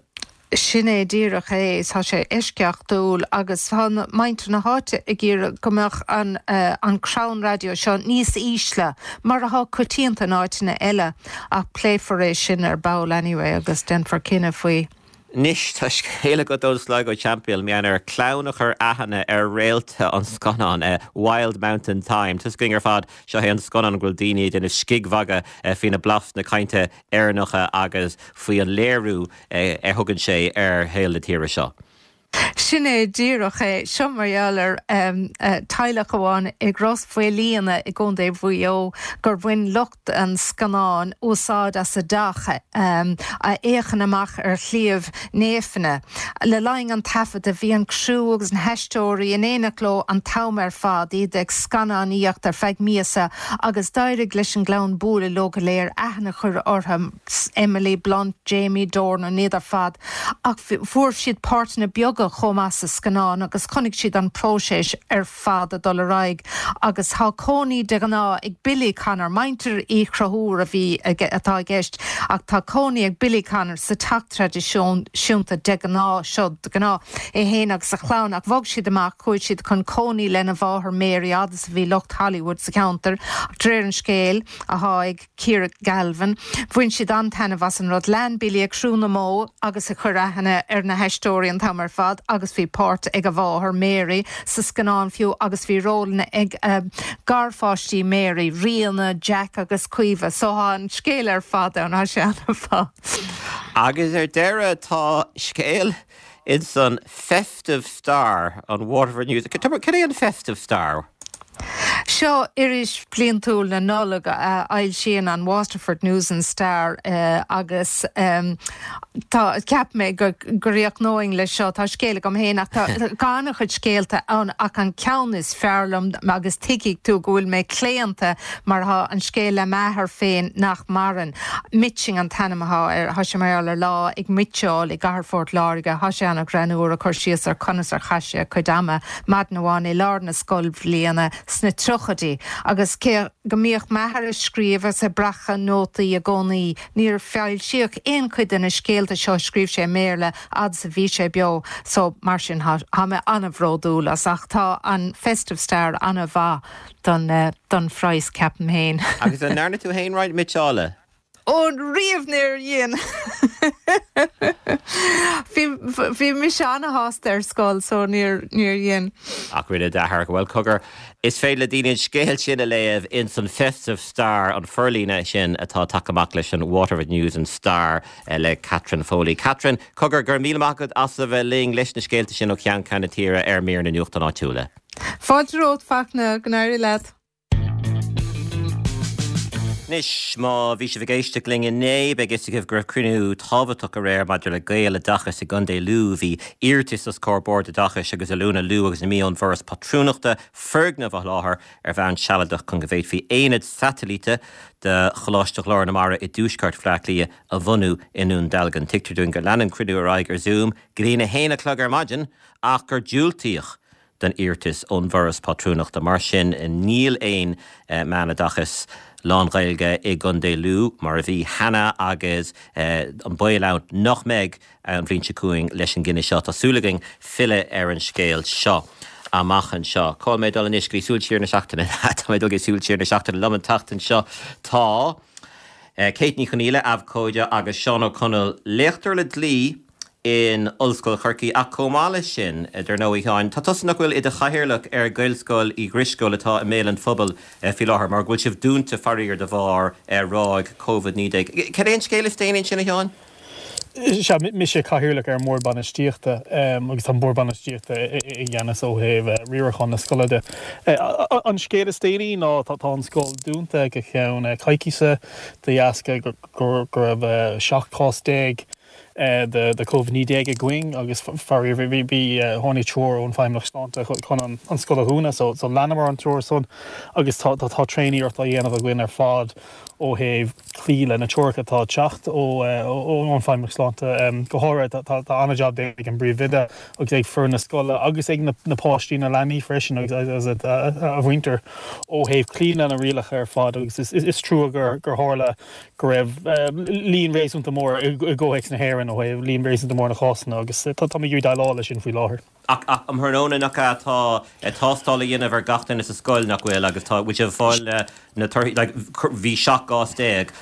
Sin é díreach é. Tá sé eisceachtúil agus tá muintir na háite ag iarraidh go mbeadh an an crann raidió seo níos ísle, mar atá coitianta in áiteanna eile. Ach pléifear é sin ar ball anyway agus déanfar cinneadh faoi. Anois tá scéal agat ón Sligo Champion, mar gheall ar chlann a chuir aithne ar réalta an scannáin Wild Mountain Thyme. Tá a fhios againn ar fad, seo é an scannán go bhfuil daoine ag déanamh scigmhagadh faoi na blastanna cainte Éireannacha agus faoi an léiriú a thugann sé ar shaol na tíre seo. Sin é díreach é. Seo mar gheall ar teaghlach amháin i gCros Mhaoilíona i gContae Mhaigh Eo gur bhain lucht an scannáin úsáid as a dteach a fhéachann amach ar Shliabh Néifinne. Le linn an taifeadta bhí an criú agus na haisteoirí in éineacht leo an t-am ar fad, iad ag scannánaíocht ar feadh míosa agus d'éirigh leis an gclann bualadh leo go léir, aithne a chur orthu. Emily Blunt, Jamie Dornan, iad ar fad, ach fuair siad páirteanna beaga chomh maith sa scannán agus chonaic siad an próiseas ar fad ag dul ar aghaidh agus tá cónaí de ghnáth ag Billy Connor, muintir Uí Chonchúir a bhí atá i gceist ach tá cónaí ag Billy Connor sa teach traidisiúnta de ghnáth seo de ghnáth, é féin agus a chlann ach bhog siad amach, chuaigh siad chun cónaí lena mháthair Mary fhad is a bhí lucht Hollywood sa cheantar ach de réir an scéil atá ag Ciara Galvin. Bhain siad an-taitneamh as an rud. Lean Billy ag crú na mbó agus ag cur aithne ar na haisteoirí an t-am ar fad agus bhí páirt ag a mháthair, Mary, sa scannán fiú agus bhí rólanna ag garpháistí Mary, Ríona, Jack agus Caoimhe. So tá an scéal ar fad ann, tá sé an-mhaith. Agus ar deireadh tá scéal ins an Festive Star, an Waterford News. Cad é an Festive Star? Seo iris bhliantúil na Nollag a fhoilsíonn an Waterford News and Star agus tá, cheap mé go gcríochnóinn leis seo, tá scéal agam féin ach tá an-chuid scéalta ann ach an ceann is fearr liom agus tuigfidh tú go bhfuil mé claonta mar tá an scéal le m'athair féin nach maireann. Mitching an t-ainm atá air. Tá sé mar gheall ar lá ag mitseáil i gcathair Phort Láirge. Tá sé an-ghreannmhar ag cur síos ar conas ar chaith sé a chuid ama maidin amháin i lár na scoilbhliana sna tríochaidí. Agus cé go mbíodh m'athair ag scríobh agus ag breacadh nótaí i gcónaí, níor foilsíodh aon chuid de na scéalta seo a scríobh sé i mBéarla fhad is a bhí sé beo. So, mar sin, tá mé an-bhródúil as. Ach tá an Festive Star an-mhaith don don phraghas, ceapaim féin. Agus an ndearna tú féin roinnt mitseála? Ó, riamh níor dhein. Bhí bhí mise ana-shásta ar scoil so níor níor dhein. Ach rinne d'athair. Bhuel, cogar, is féidir le daoine an scéal sin a léamh ins an Festive Star, an forlíonadh sin atá tagtha amach leis an Waterford News and Star le Catherine Foley. Catherine, cogar, go raibh míle maith agat as a bheith linn leis na scéalta sin ó cheann ceann na tíre ar mír na nuachtán áitiúla. Fáilte romhat, Fachtna, go n-éirí leat. Anois, má bhí sibh ag éisteacht linn inné, beidh fhios agaibh go raibh cruinniú tábhachtach aréir maidir le Gaeloideachas i gContae Lú. Bhí iarratas os comhair Bord Oideachais agus Oiliúna Lú agus na Mí ón bhForas Pátrúnachta foirgneamh a sholáthar ar bhonn sealadach chun go bhféadfaí aonad satailíte de Choláiste Ghlór na Mara i dtuaisceart Bhaile Átha Cliath a bhunú i nDún Dealgan. Tuigtear dúinn gur lean an cruinniú ar aghaidh ar Zoom go dtí a haon a chlog ar maidin ach gur diúltaíodh don iarratas ón bhForas Pátrúnachta. Mar sin, níl aon meánoideachas lán-Ghaeilge i gContae Lú, mar a bhí cheana, agus an baol ann nach mbeidh an bhliain seo chugainn leis an gcinneadh seo. Tá súil againn filleadh ar an scéal seo amach anseo. Cá bhfuil mé ag dul anois? Go dtí Súil Siar na Seachtaine. Tá mé ag dul go dtí Súil Siar na Seachtaine. Liom an tseachtain seo tá Kate Ní Chonaola, abhcóide, agus Seán Ó Conaill, léachtóir le dlí, in Ollscoil Chorcaí ach chomh maith leis sin, dar ndóigh, a Sheáin, tá tusa nach bhfuil i do chathaoirleach ar Ghaelscoil Uí Dhrisceoil atá i mbéal an phobail faoi láthair mar go bhfuil sibh dúnta faraor de bharr ráig Covid-19. Cad é an scéal is déanaí ansin, a Sheáin? Sea, mise cathaoirleach ar an mBord Bainistíochta agus tá an Bord Bainistíochta i gceannas ó thaobh riarachán na scoile de. An scéal is déanaí ná tá an scoil dúnta go ceann coicíse de dheasca go raibh 17 cás de Covid-19 againn agus faraor bhí tháinig treoir ón Feidhmeannacht Sláinte chun an scoil a dhúnadh so so leanamar an treoir san agus tá tá tréaniarracht á dhéanamh againn ar fad ó thaobh cloí le na treoracha atá ag teacht ó ón Feidhmeannacht Sláinte. Go háirithe tá tá an-jab déanta ag an bpríomhoide agus ag foireann na scoile agus ag na na páistí na leanaí freisin agus agus a mhuintir ó thaobh cloí le na rialacha ar fad agus is is trua gur gur tharla go raibh líon réasúnta mór i gcomhthéacs na hÉireann ó thaobh líon réasúnta mór na cásanna agus táimid ag iarraidh déileáil leis sin faoi láthair. Ach um thráthnóna nach ea tá tástáil á dhéanamh ar gach duine sa scoil nach bhfuil agus tá bhfuil sibh ag fáil na torthaí like bhí 17 gcás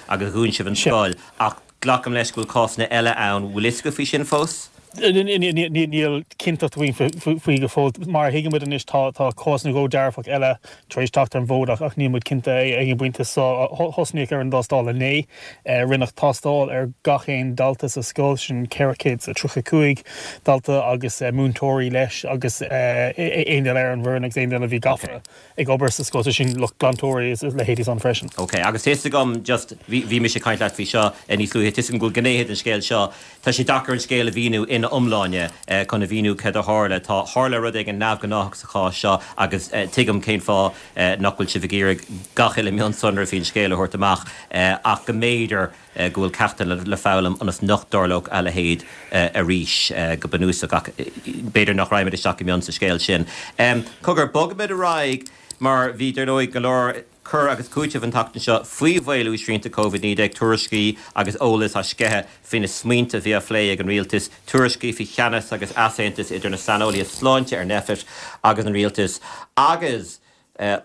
agus dhún sibh an scoil ach glacaim leis go bhfuil cásanna eile ann bhfuil fhios agaibh faoi sin fós? Níl cinnteacht againn faoi go fóill. Mar a thuigeann muid anois tá cás nó dhó dearfach eile tar éis teacht ar an bhfód ach níl muid cinnte ag an bpointe seo. Thosnaíodh ar an dtástáil inné. Rinneadh tástáil ar gach aon dalta sa scoil, sin 435 dalta agus múinteoirí leis agus aon duine ar an bhfoireann agus aon duine a bhí gafa. ag obair sa scoil, sé sin lucht glantóirí is leithéidí san freisin. Ok, agus tá fhios agam just, bhí, bhí mise ag caint leat faoi seo níos luaithe, tá fhios agam go bhfuil gnéithe den scéal seo, tá sé deacair an scéal a mhíniú ina iomláine chun a mhíniú céard a tharla. Tá, tharla rud éigin neamhghnáthach sa chás seo agus tuigim cén fáth nach bhfuil sibh ag iarraidh gach uile mionsonra faoin scéal a thabhairt amach ach go mb'fhéidir go bhfuil ceachtanna le foghlaim ionas nach dtarlódh a leithéid arís go bunúsach, ach b'fhéidir nach raghaimid isteach go mion sa scéal sin. Cogar, bogfaimid ar aghaidh mar bhí, dar ndóigh, go leor cur agus cúiteamh an tseachtain seo faoi mhaolú srianta Covid-19, tuairiscí agus eolas á sceitheadh faoi na smaointe a bhí á phlé ag an rialtas, tuairiscí faoi theannas agus easaontas idir na saineolaithe sláinte ar Nphet agus an rialtas, agus.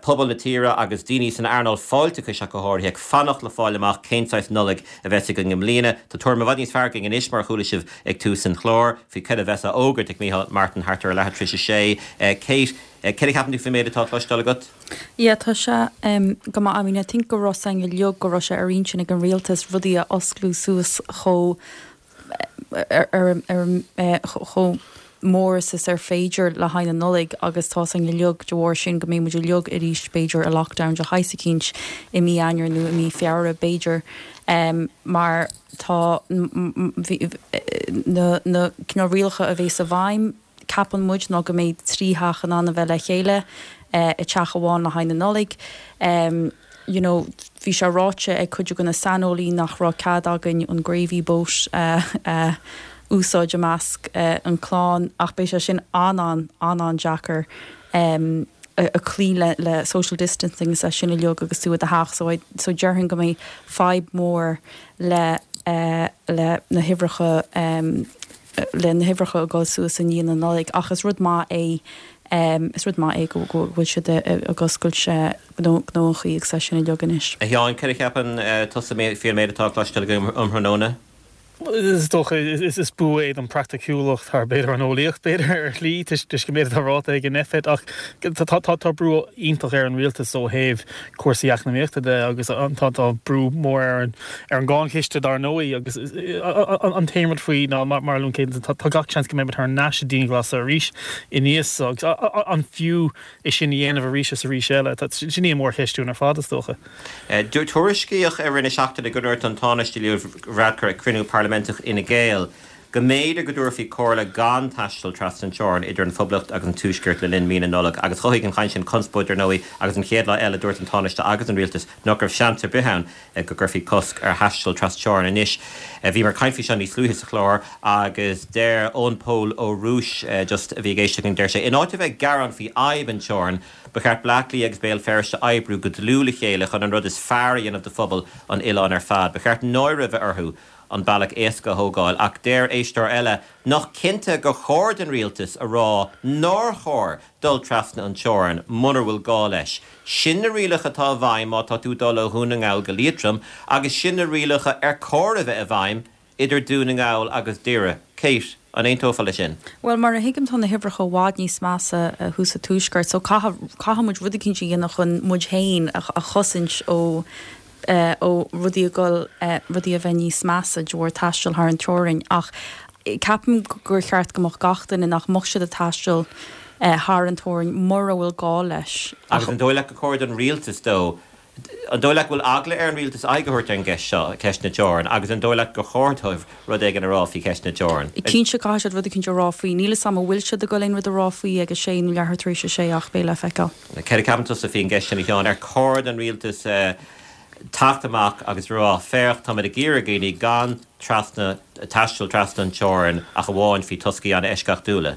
pobal na tíre agus daoine san earnáil fáilteachais ach go háirithe, ag fanacht le fáil amach cén saghas Nollaig a bheas againn i mbliana. Tá tuairim i bhfad níos fearr againn anois, mar a chuala sibh ag tús an chláir, faoi cad a bheas á fhógairt ag Micheál Martin thart ar a leathuair tar éis a sé. Kate, céard a cheapann tú faoin méid atá cloisteáil agat? Yeah, tá sé go maith. I mean, I think go raibh a fhios againn uilig go raibh sé ar intinn ag an rialtas rudaí a osclú suas chomh ar chomh. mór is is ar féidir le haghaidh na Nollag agus tá's againn uilig de bharr sin go mbeidh muid uilig arís b'fhéidir i lockdown de shaghas eicínt i mí Eanáir nó i mí Feabhra b'fhéidir mar tá na na cineál rialacha a bhéas i bhfeidhm ceapann muid ná go mbeidh 3 theach in ann a bheith le chéile i dteach amháin le haghaidh na Nollag. You know bhí sé ráite ag cuid de na saineolaí nach raibh cead againn an gravy boat a úsáid i measc an clann ach beidh sé sin an-an an-an-deacair a cloí le le social distancing is é sin uilig agus tú i do theach so I so déarfainn go mbeidh fadhb mór le le na huimhreacha le na huimhreacha ag dul suas i ndiaidh na Nollag ach is rud maith é is rud maith é go bhfuil siad ag oscailt gnóthaí agus é sin uilig anois. A Sheáin, cad a cheapann tusa faoin méid atá cloiste againn um thráthnóna? Is dócha is bua é don praiticiúlacht thar b'fhéidir an eolaíocht b'fhéidir ar shlí toisc an méid atá ráite ag an Nphet ach tá brú iontach ar an rialtas ó thaobh cúrsaí eacnamaíochta de agus tá brú mór ar an ar an gcáinchiste dar ndóigh agus an t-aon rud faoi ná mar a luann Kate tá gach seans go mbeimid thar n-ais i dianghlasáil arís i ndiaidh so agus an fiú é sin a dhéanamh arís is arís eile? Sin í an mhórcheist dúinn ar fad is dócha. Tuairiscíodh i rith na seachtaine go ndúirt an Tánaiste Leo Varadkar ag cruinniú parlaiminteach Fhine Gael go mb'fhéidir go dtabharfaí comhairle gan taisteal trasna an teorainn idir an Phoblacht agus an Tuaisceart le linn mí na Nollag agus chothaigh an chaint sin conspóid ar ndóigh agus an chéad lá eile dúirt an Tánaiste agus an Rialtas nach raibh seans ar bith ann go gcuirfí cosc ar thaisteal tras-teorann anois. Bhíomar ag caint faoi seo níos luaithe sa chlár agus deir Eoin Pól Ó Rúis just a bhí ag éisteacht linn, deir sé, in áit a bheith ag gearán faoi fhadhb an teorann, ba cheart Bleá Cliath agus Béal Feirste oibriú go dlúth le chéile chun an rud is fearr a dhéanamh do phobal an oileáin ar fad. Ba cheart náire a bheith orthu an bealach éasca a thógáil. Ach deir éisteoir eile nach cinnte gur chóir don rialtas a rá nár chóir dul trasna an teorainn munar bhfuil gá leis. Sin na rialacha atá i bhfeidhm má tá tú ag dul ó Dhún na nGall go Liatroim agus sin na rialacha ar chóir a bheith i bhfeidhm idir Dún na nGall agus Doire. Kate, an aontófá leis sin? Bhuel, mar a thuigim tá na huimhreacha i bhfad níos measa thuas sa tuaisceart so caithfidh, caithfidh muid rud eicínt a dhéanamh chun muid féin a chosaint ó ó rudaí a dhul, rudaí a bheith níos measa de bharr taisteal thar an teorainn ach ceapaim gur cheart go mbeadh gach duine nach mbeadh siad ag taisteal thar an teorainn mura bhfuil gá leis. Agus an dóigh leat gur chóir don rialtas dó, an dóigh leat go bhfuil eagla ar an rialtas aghaidh a thabhairt ar an gceist seo, ceist na teorann, agus an dóigh leat gur chóir dóibh rud éigin a rá faoi cheist na teorann? Cinnte caithfidh siad rud eicínt a rá faoi. Níl 'fhios a'm an bhfuil siad ag dul aon rud a rá faoi ag a sé nó leathuair tar éis a sé ach beidh le feiceáil. Céard a cheapann tusa faoin gceist sin, a Sheáin? Ar chóir don rialtas teacht amach agus rá, féach, táimid ag iarraidh ar dhaoine gan trasna, taisteal trasna an teorainn ach amháin faoi toscaí an-eisceachtúla?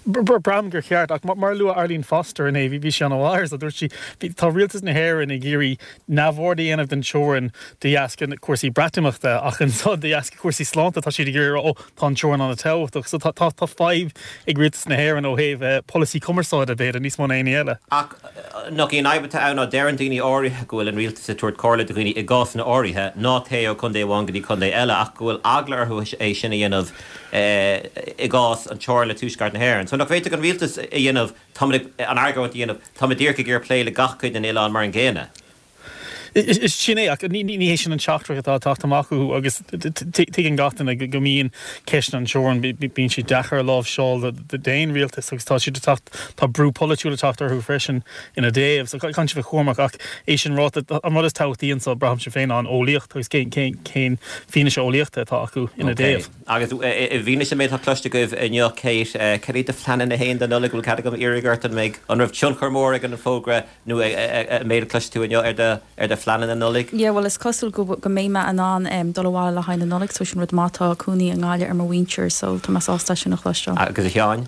Braithim gur cheart, ach mar a luaigh Arlene Foster inné, bhí sí an-mhaith air so, dúirt sí, tá rialtas na hÉireann ag iarraidh neamhaird a dhéanamh den teorainn de dheasca cúrsaí Breatimeachta ach ansan de dheasca cúrsaí sláinte tá siad ag iarraidh a rá, ó, Tá an teorainn an-tábhachtach. So tá tá fadhb ag rialtas na hÉireann ó thaobh polasaí cumarsáide, b'fhéidir, níos mó ná aon ní eile. Ach nach í an fhadhb atá ann ná deireann daoine áirithe go bhfuil an rialtas ag tabhairt comhairle do dhaoine i gcásanna áirithe ná téigh ó chontae amháin go dtí contae eile ach go bhfuil eagla orthu é sin a dhéanamh i gcás an teorainn le Tuaisceart na hÉireann. So nach bhféadfadh an rialtas a dhéanamh, táimid ag, an argóint a dhéanamh, táimid díreach ag iarraidh plé le gach cuid den oileán mar an gcéanna. Is sin é, ach ní hé sin an teachtaireacht atá ag teacht amach uathu agus tuigeann gach duine go mbíonn ceisteanna an teorann, bíonn siad deacair a láimhseáil d'aon rialtas agus tá siad ag teacht, tá brú polaitiúil ag teacht orthu freisin ina dtaobh. So caithfidh siad bheith cúramach ach é sin ráite, an rud is tábhachtaí anseo, braithimse féin, ná an eolaíocht agus cén fianaise eolaíochta atá acu ina dtaobh. Agus i bhfianaise an méid atá cloiste agaibh inniu, Kate, cad iad do phleananna féin don Nollaig? Bhfuil cead agam iarraidh ort an mbeidh, an raibh tionchar mór ag an bhfógra nó an méid a chloiste tú inniu ar do ar do phleananna Nollag? Yeah, bhuel is cosúil go go mbeidh mé in ann dul abhaile le haghaidh na Nollag so sin rud maith, tá cónaí i nGaillimh ar mo mhuintir so tá mé sásta é sin a chloisteáil. Agus a Sheáin?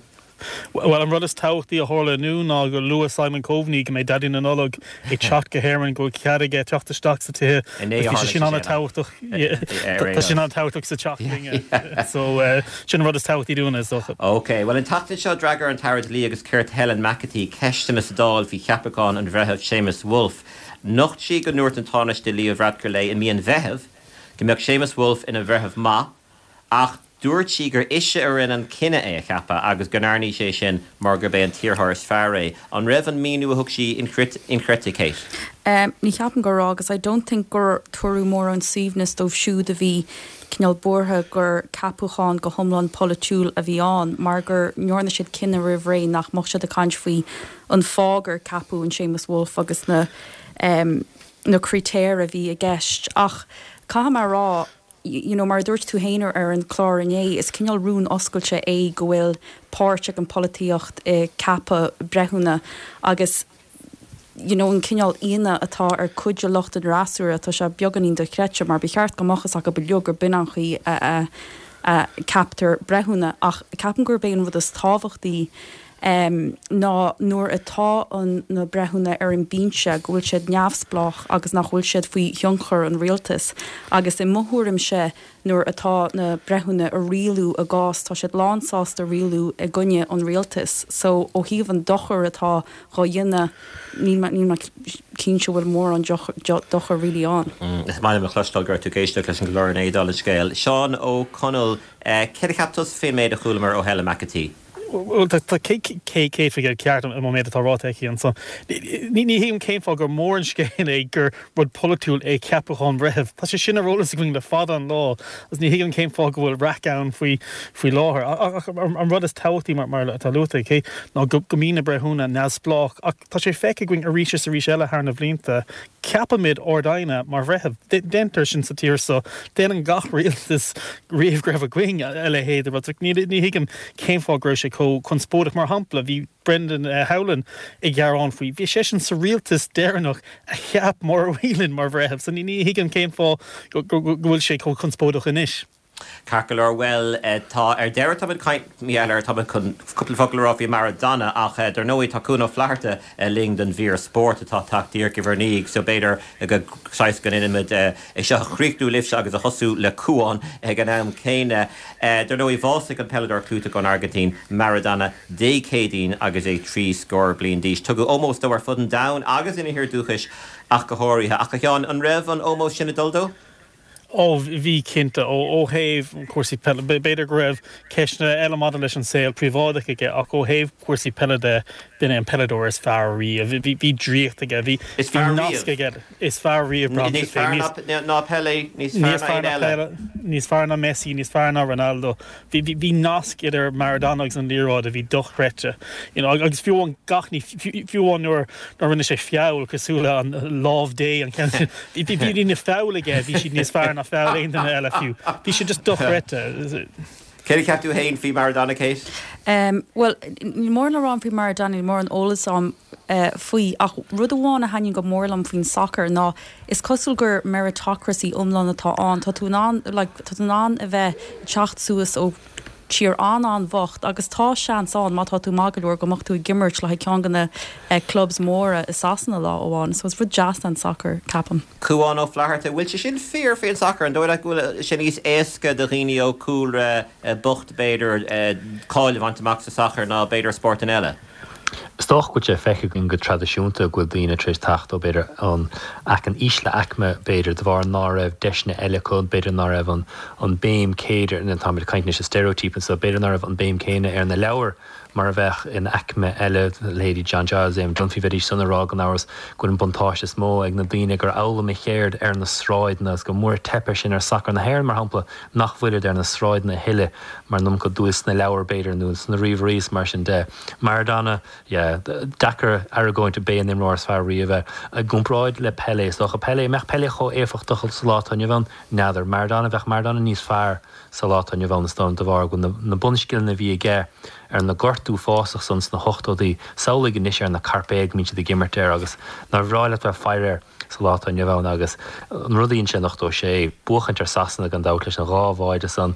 Bhuel an rud is tábhachtaí a tharla inniu ná gur luaigh Simon Coveney go mbeidh Daidí na Nollag ag teacht go hÉirinn, go bhfuil cead aige teacht isteach sa tithe. Inné a Bhí sé tharla sin sé sin. an-tábhachtach. Tá sin an-tábhachtach sa teach linne. So sin an rud is tábhachtaí dúinne, is dócha. Ok, bhuel an tseachtain seo d'fhreagair an tAire Dlí agus Cirt Helen McEntee ceisteanna sa Dáil faoi cheapachán an Bhreithimh Séamus Woulfe. Nocht sí go ndúirt an Tánaiste Leo Varadkar léi i mí an Mheithimh go mbeadh Séamus Woulfe ina bhreitheamh maith ach dúirt sí gur ise a rinne an cinneadh é a cheapadh agus go ndearna sí é sin mar gurb é an t-iarrthóir is fearr é. An raibh an míniú a thug sí inchreidte, Kate? Ní cheapaim go raibh agus I don't think gur tabhaireadh mórán suaimhneas dóibh siúd a bhí cineál buartha gur ceapúchán go hiomlán polaitiúil a bhí ann mar go ndearna siad cinneadh roimh ré nach mbeadh siad ag caint faoi an fáth gur ceapadh an Séamus Woulfe agus na na critéir a bhí i gceist. Ach caithfidh mé a rá, you know mar a dúirt tú féin ar an chlár inné, is cineál rún oscailte é go bhfuil páirt ag an polaitíocht i ceapadh breithiúna agus you know an cineál ionadh atá ar cuid de lucht an fhreasúra, tá sé beagáinín dochreidte mar ba cheart go mbeadh fhios acu uilig gur b'in an chaoi a a ceaptar breithiúna ach ceapaim gurb é an rud is tábhachtaí ná nuair atá an na breithiúna ar an binse go bhfuil siad neamhspleách agus nach bhfuil siad faoi thionchar an rialtais agus i mo thuairimse nuair atá na breithiúna ag rialú a gcás tá siad lán sásta rialú i gcoinne an rialtais so ó thaobh an dochar atá dhá dhéanamh níl mé níl mé cinnte bhfuil mórán dochar really ann. Is maith liom a chloisteáil go raibh tú ag éisteacht leis an gclár inné dála an scéil. Seán Ó Conaill, céard a cheap tusa faoin méid a chualamar ó Helen McEntee? Bhuel, tá 100% ceart an méid atá ráite aici ansan. Ní thuigim cén fáth gur mór an scéal é gur rud polaitiúil é ceapachán breithimh. Tá sé sin ar eolas againn le fada an lá agus ní thuigim cén fáth go bhfuil raic ann faoi faoi láthair. Ach an rud is tábhachtaí, mar atá luaite aici, ná go mbíonn na breithiúna neamhspleách. Ach tá sé feicthe againn arís is arís eile thar na bhlianta, Ceapaimid Ard-Aighne mar bhreitheamh. Déantar sin sa tír seo. Déanann gach rialtas riamh go raibh againn a leithéid de rud. Ní thuigim cén fáth go raibh sé chomh conspóideach. Mar shampla, bhí Brendan Howlin ag gearán faoi. Bhí seisean sa rialtas deireanach a cheap Maura Whelan mar bhreitheamh. So ní thuigim cén fáth go bhfuil sé chomh conspóideach anois. Ceart go leor, bhuel, tá, ar deireadh táimid caint, mheall air, táimid chun cúpla focal a rá faoi Maradona ach dar ndóigh tá Cuan Ó Flatharta linn don mhír spóirt atá ag teacht díreach i bhur ndiaidh so b'fhéidir go saghas go ndéanfaimid é seo a chríochnú libhse agus a thosú le Cuan ag an am céanna. Dar ndóigh bhásaigh an peileadóir clúiteach ón Airgintín, Maradona, Dé Céadaoin agus é 30 scór bliain d'aois. Tugadh ómós dó ar fud an domhain agus ina thír dúchais ach go háirithe. Ach a Sheáin, an raibh an ómós sin ag dul dó? Ó, bhí cinnte. Ó thaobh cúrsaí peile, b'fhéidir go raibh ceisteanna eile maidir leis an saol príobháideach aige ach ó thaobh cúrsaí peile de, b'in é an peileadóir is fearr riamh. Bhí draíocht aige, bhí nasc aige. Is fearr riamh, Níos fearr ná Pelé, níos fearr ná aon eile. Níos fearr ná Messi, níos fearr ná Ronaldo. Bhí nasc idir Maradona agus an liathróid a bhí dochreidte. You know, agus fiú amháin gach ní, fiú amháin nuair a rinne sé feall cosúil le an lámh Dé an ceann sin, bhí na feall aige, bhí siad níos fearr ná feall aon duine eile fiú. Bhí sé just dochreidte. Céard a cheap tú féin faoi Maradona, Kate? Bhuel, níl mórán le rá faoi Maradona, níl mórán eolas agam faoi ach rud amháin a thaitníonn go mór liom faoin sacar ná is cosúil gur meritocracy iomlán atá ann. Tá tú in ann, like, tá tú in ann a bheith ag teacht suas ó tír an-an-bhocht agus tá seans ann má tá tú maith go leor go mbeadh tú ag imirt le haghaidh ceann de na clubs móra i Sasana lá amháin. So is rud deas é an sacar, ceapaim. Cuan Ó Flatharta, Bhfuil sé sin fíor faoin sacar? An dóigh leat go bhfuil sé níos éasca do dhaoine ó chúlra bocht b'fhéidir cáil a bhaint amach sa sacar ná b'fhéidir spórtanna eile? Is dócha go bhfuil sé feicthe againn go traidisiúnta go bhfuil daoine tar éis teacht ó b'fhéidir an aic an ísle aicme b'fhéidir de bharr ná raibh deiseanna eile acu, b'fhéidir ná raibh an an béim céanna, nó táimid ag caint anois i steiréitíopa anseo, b'fhéidir ná raibh an béim céanna ar na leabhair mar a bheadh in aicme eile, leithéidí John Giles, Eamon Dunphy, bheidís san ag rá gan amhras go bhfuil an buntáiste is mó ag na daoine gur fhoghlaim a cheird ar na sráideanna agus go mór teip air sin ar sacar na hÉireann mar shampla nach bhfuilid ar na sráideanna a thuilleadh mar an iomarca dúil sna leabhair b'fhéidir nó sna ríomhairí is mar sin de. Maradona, yeah, deacair argóint b'é an imreoir is fearr riamh é. I gcomparáid le Pelé, is dócha. Pelé, an mbeadh Pelé chomh éifeachtach sa lá atá inniu ann? N'fheadar. Maradona, bheadh Maradona níos fearr sa lá atá inniu ann, is dóigh liom, de bharr go bhfuil na bunscileanna a bhí aige ar na gort uafásach san sna hochtóidí, samhlaigh anois ar na cairpéid go mbíonn siad ag imirt air agus nár bhreá leat bheith ag faire air sa lá atá inniu ann agus an rud a dhein sé in 86, buachaint ar Sasana gan dabht leis an dhá bháide san.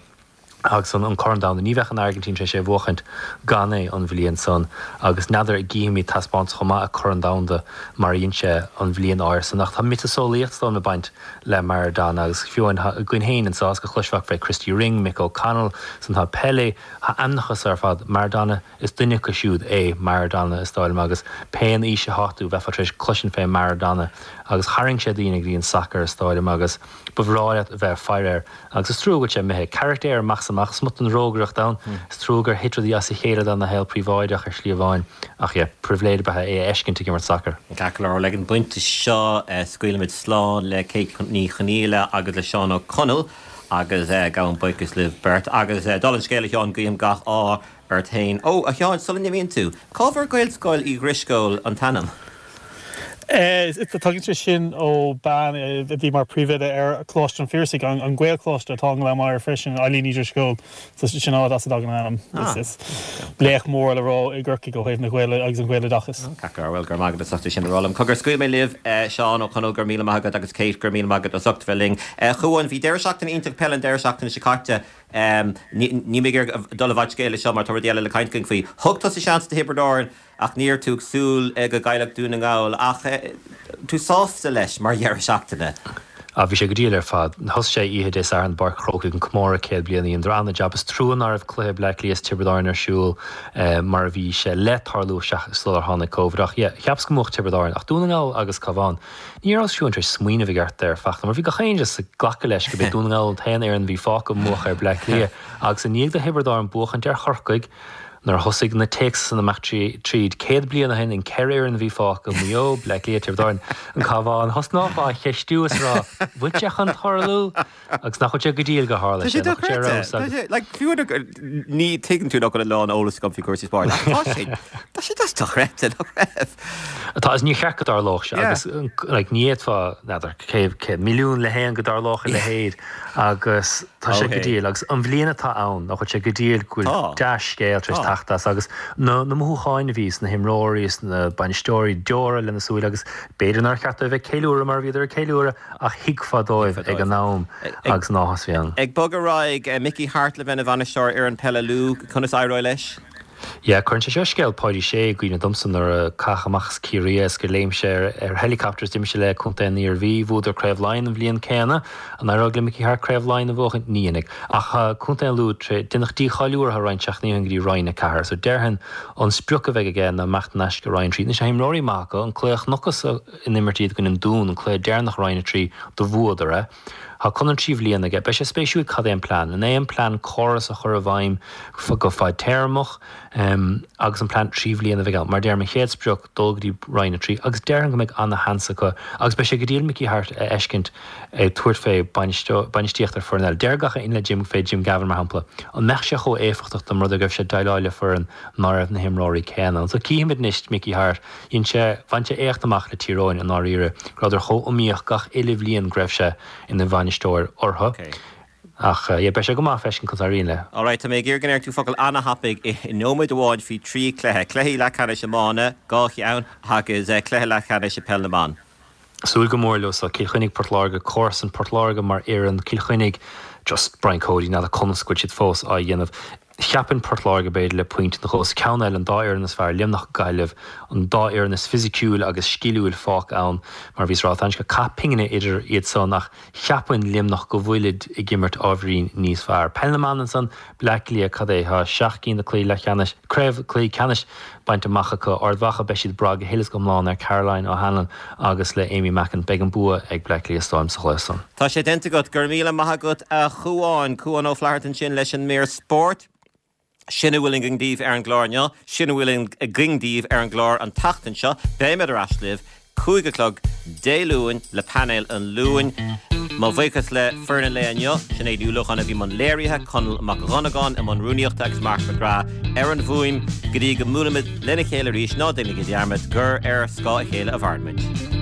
Agus an Corn Domhanda, ní bheadh an Airgintín tar éis é a bhuachaint gan é an bhliain san agus n'fheadar an gcífimid taispeántas chomh maith ag Corn Domhanda mar a dhein sé an bhliain áirithe san. Ach tá miotaseolaíocht is dóigh liom ag baint le Maradona agus fiú amháin againn féin anso is go chloisfeá fé Christy Ring, Mick O'Connell, san tá Pelé, tá ainmneacha so ar fad, Maradona, is duine acu siúd é Maradona is dóigh liom agus pén aois atá tú bheifeá tar éis cloisint fé Maradona. Agus tharraing sé daoine go dtí an sacar is dóigh liom agus ba bhreá leat a bheith ag faire air. Agus is trua go bhfuil sé imithe. Carachtar amach is amach, smut den rógaireacht ann. Is trua gur thit rudaí as a chéile dona shaol príobháideach ar shlí amháin. Ach yeah, pribhléid ab ea é a fheiscint ag imirt sacair. Ceart go leor, bhuel ag an bpointe seo scaoilimid slán le Kate Ní Chonghaile agus le Seán Ó Conaill agus gabhaim buíochas libh beirt. Agus dála an scéil a Sheáin, guím gach ádh ort féin. Ó, a Sheáin, sula n-imíonn tú, cá bhfuair Gaelscoil Uí Dhrisceoil an t-ainm? Tagann sé sin ó bean a bhí mar príomhoide ar Choláiste an Phiarsaigh, an Gaelcholáiste atá i nGleann Maghair freisin, Eileen Ní Dhrisceoil. So sin áit as a dtagann an ainm. Is laoch mór le rá i gCorcaigh ó thaobh na Gaeilge agus an Ghaeloideachais. Ceart go leor, bhuel, go raibh maith agat as ucht é sin a rá liom. Cogar, scaoilfidh mé libh, Seán Ó Conaill, go raibh míle maith agat agus Kate, go raibh míle maith agat as ucht bheith linn. A Chuáin, bhí deireadh seachtaine iontach peile an deireadh seachtaine seo caite. Níl mé ag iarraidh dul i bhfad scéil leis seo mar tá rudaí eile le caint againn faoi. Thug tusa seans do Thiobraid Árann ach ní raibh tú ag súil go gcaillfeadh Dún na nGall ach tú sásta leis mar dheireadh seachtaine? Ah bhí sé go diail ar fad. Thosaigh sé oíche Dé Sathairn i bPáirc an Chrócaigh an comóradh 100 bliain dheineadar an-jab. Is trua ná raibh cluiche Bleá Cliath is Tiobraid Árann ar siúl mar a bhí sé le tarlú sular tháinig Covid ach yeah cheapas go mbuafadh Tiobraid Árann ach Dún na nGall agus Cabhán Ní rabhas fiú tar éis smaoineamh i gceart air fachta mar bhí gach éinne just ag glacadh leis go b'é Dún na nGall an t-aon fhoireann a bhí fágtha a mbuafadh ar Bleá Cliath agus i ndiaidh do Thiobraid Árann buachaint ar Chorcaigh nuair a thosaigh na téacsanna amach tríd 100 bliain ó shin an ceithre fhoireann a bhí fágtha, Maigh Eo, Bleá Cliath, Tiobraid Árann, an Cabhán, thosnófá á cheistiú is a rá, bhfuil sé chun tarlú? Agus nach bhfuil sé go diail gur tharla sé, nach bhfuil sé ar fheabhas agus. Like, fiú ní tuigeann tú nach bhfuil a lán eolas agam faoi chúrsaí spóirt, ach tá sé, tá sé just dochreidte, nach raibh? Tá, agus níor cheart go dtarlódh sé agus like, ní fhéadfá, n'fheadar, 100 milliún le haon go dtarlódh a leithéid agus tá sé go diail agus an bhliain atá ann, nach bhfuil sé go diail go bhfuil dea-scéal tar éis teacht as agus na na mothúcháin a bhí sna himreoirí, sna bainisteoirí, deora lena súile agus b'fhéidir nár cheart dóibh bheith ag ceiliúradh mar a bhíodar ag ceiliúradh Ach thuigfeá dóibh ag an am agus an áthas a bhí ann. Ag bogadh ar aghaidh, Mickey Harte le bheith ina bhainisteoir ar fhoireann peile Lú, conas éireoidh leis? Yeah, cuireann sé seo scéal Páidí Sé i gcuimhne domsa nuair a caitheadh amach as Ciarraí é is gur léim sé ar helicopter is d'imigh sé le Contae an Iarmhí. Bhuadar Craobh Laighean an bhliain céanna. An éireoidh le Mickey Harte Craobh Laighean a bhuachan? Ní dhéanfaidh. Ach Contae an Lú, deineadh dícháiliú orthu roinnt seachtainí ó shin go dtí Roinn 4. So déarfainn an sprioc a bheidh aige ná imeacht thar n-ais go Roinn 3. Anois tá imreoirí maith acu, an cluiche a chonacthas in imirt iad i gcoinne an Dún, an cluiche deireanach i Roinn 3, do bhuadar é. Tá conradh 3 bhliana aige. Beidh sé spéisiúil cad é an plean. An é an plean córas a chur i bhfeidhm go fadtéarmach agus an plean 3 bhliana a bheidh ann. Mar deirim, an chéad sprioc, dul go dtí Roinn 3 agus déarfainn go mbeidh ana-sheans acu agus beidh sé go diail Mickey Harte a fheiscint ag tabhairt fé bainistíocht ar foireann eile. Deir gach éinne le Jim fé Jim Gavin mar shampla, an mbeadh sé chomh éifeachtach dá mba rud é go raibh sé ag déileáil le foireann ná raibh na himreoirí céanna ann. So cífimid anois Mickey Harte Dhein sé, bhain sé éacht amach le Tír Eoghain i ndáiríre, go rabhadar chomh iomaíoch gach uile bhliain go raibh sé ina bhainisteoir orthu. Ach yeah, beidh sé go maith feiscint conas a éiríonn leis. Alright, tá mé ag iarraidh go ndéarfaidh tú focal ana-thapaidh i nóiméad amháin faoi thrí chluiche. Cluichí leathcheannais iomána, dhá cheann, agus cluiche leathcheannais i peil na mban. Súil go mór leo so. Cill Chainnigh, Port Láirge, comharsan Port Láirge mar fhoireann, Cill Chainnigh, just Brian Cody, n'fheadar conas go bhfuil siad fós á dhéanamh. Cheapfainn Port Láirge b'fhéidir le pointe nó dhó. Is ceann eile, an dá fhoireann is fearr, Luimneach, Gaillimh, an dá fhoireann is fisiciúil agus sciliúil fágtha ann, mar a bhíos a rá, tá an cath pingine idir iad san ach cheapfainn Luimneach go bhfuilid ag imirt ábhairín níos fearr. Peil na mban ansan, Bleá Cliath, cad é, tá seacht gcinn de cluichí leathcheannais, craobh, cluichí ceannais bainte amach acu. Ard Mhacha, beidh siad ag brath go huile is go hiomlán ar Caroline O'Hanlon agus le Amy Mackin. Beidh an bua ag Bleá Cliath is dóigh liom sa chluiche san. Tá sé déanta agat. Go raibh míle maith agat a Chuáin. Cuán Ó Flatharta ansin leis an mír spóirt. Sin a bhfuil againn daoibh ar an gclár inniu. Sin a bhfuil againn daoibh ar an gclár an tseachtain seo. Beimid ar ais libh 5 a chlog Dé Luain le painéal an Luain. Mo bhuíochas le foireann an lae inniu, Sinéad Ní Uallacháin a bhí i mbun léirithe, Conall Mac Dhonnagáin i mbun rúnaíochta agus Mark McGrath ar an bhfuaim. Go dtí go mbuailfimid lena chéile arís, ná déanaigí dearmad gur ar scáth a chéile a mhaireann muid.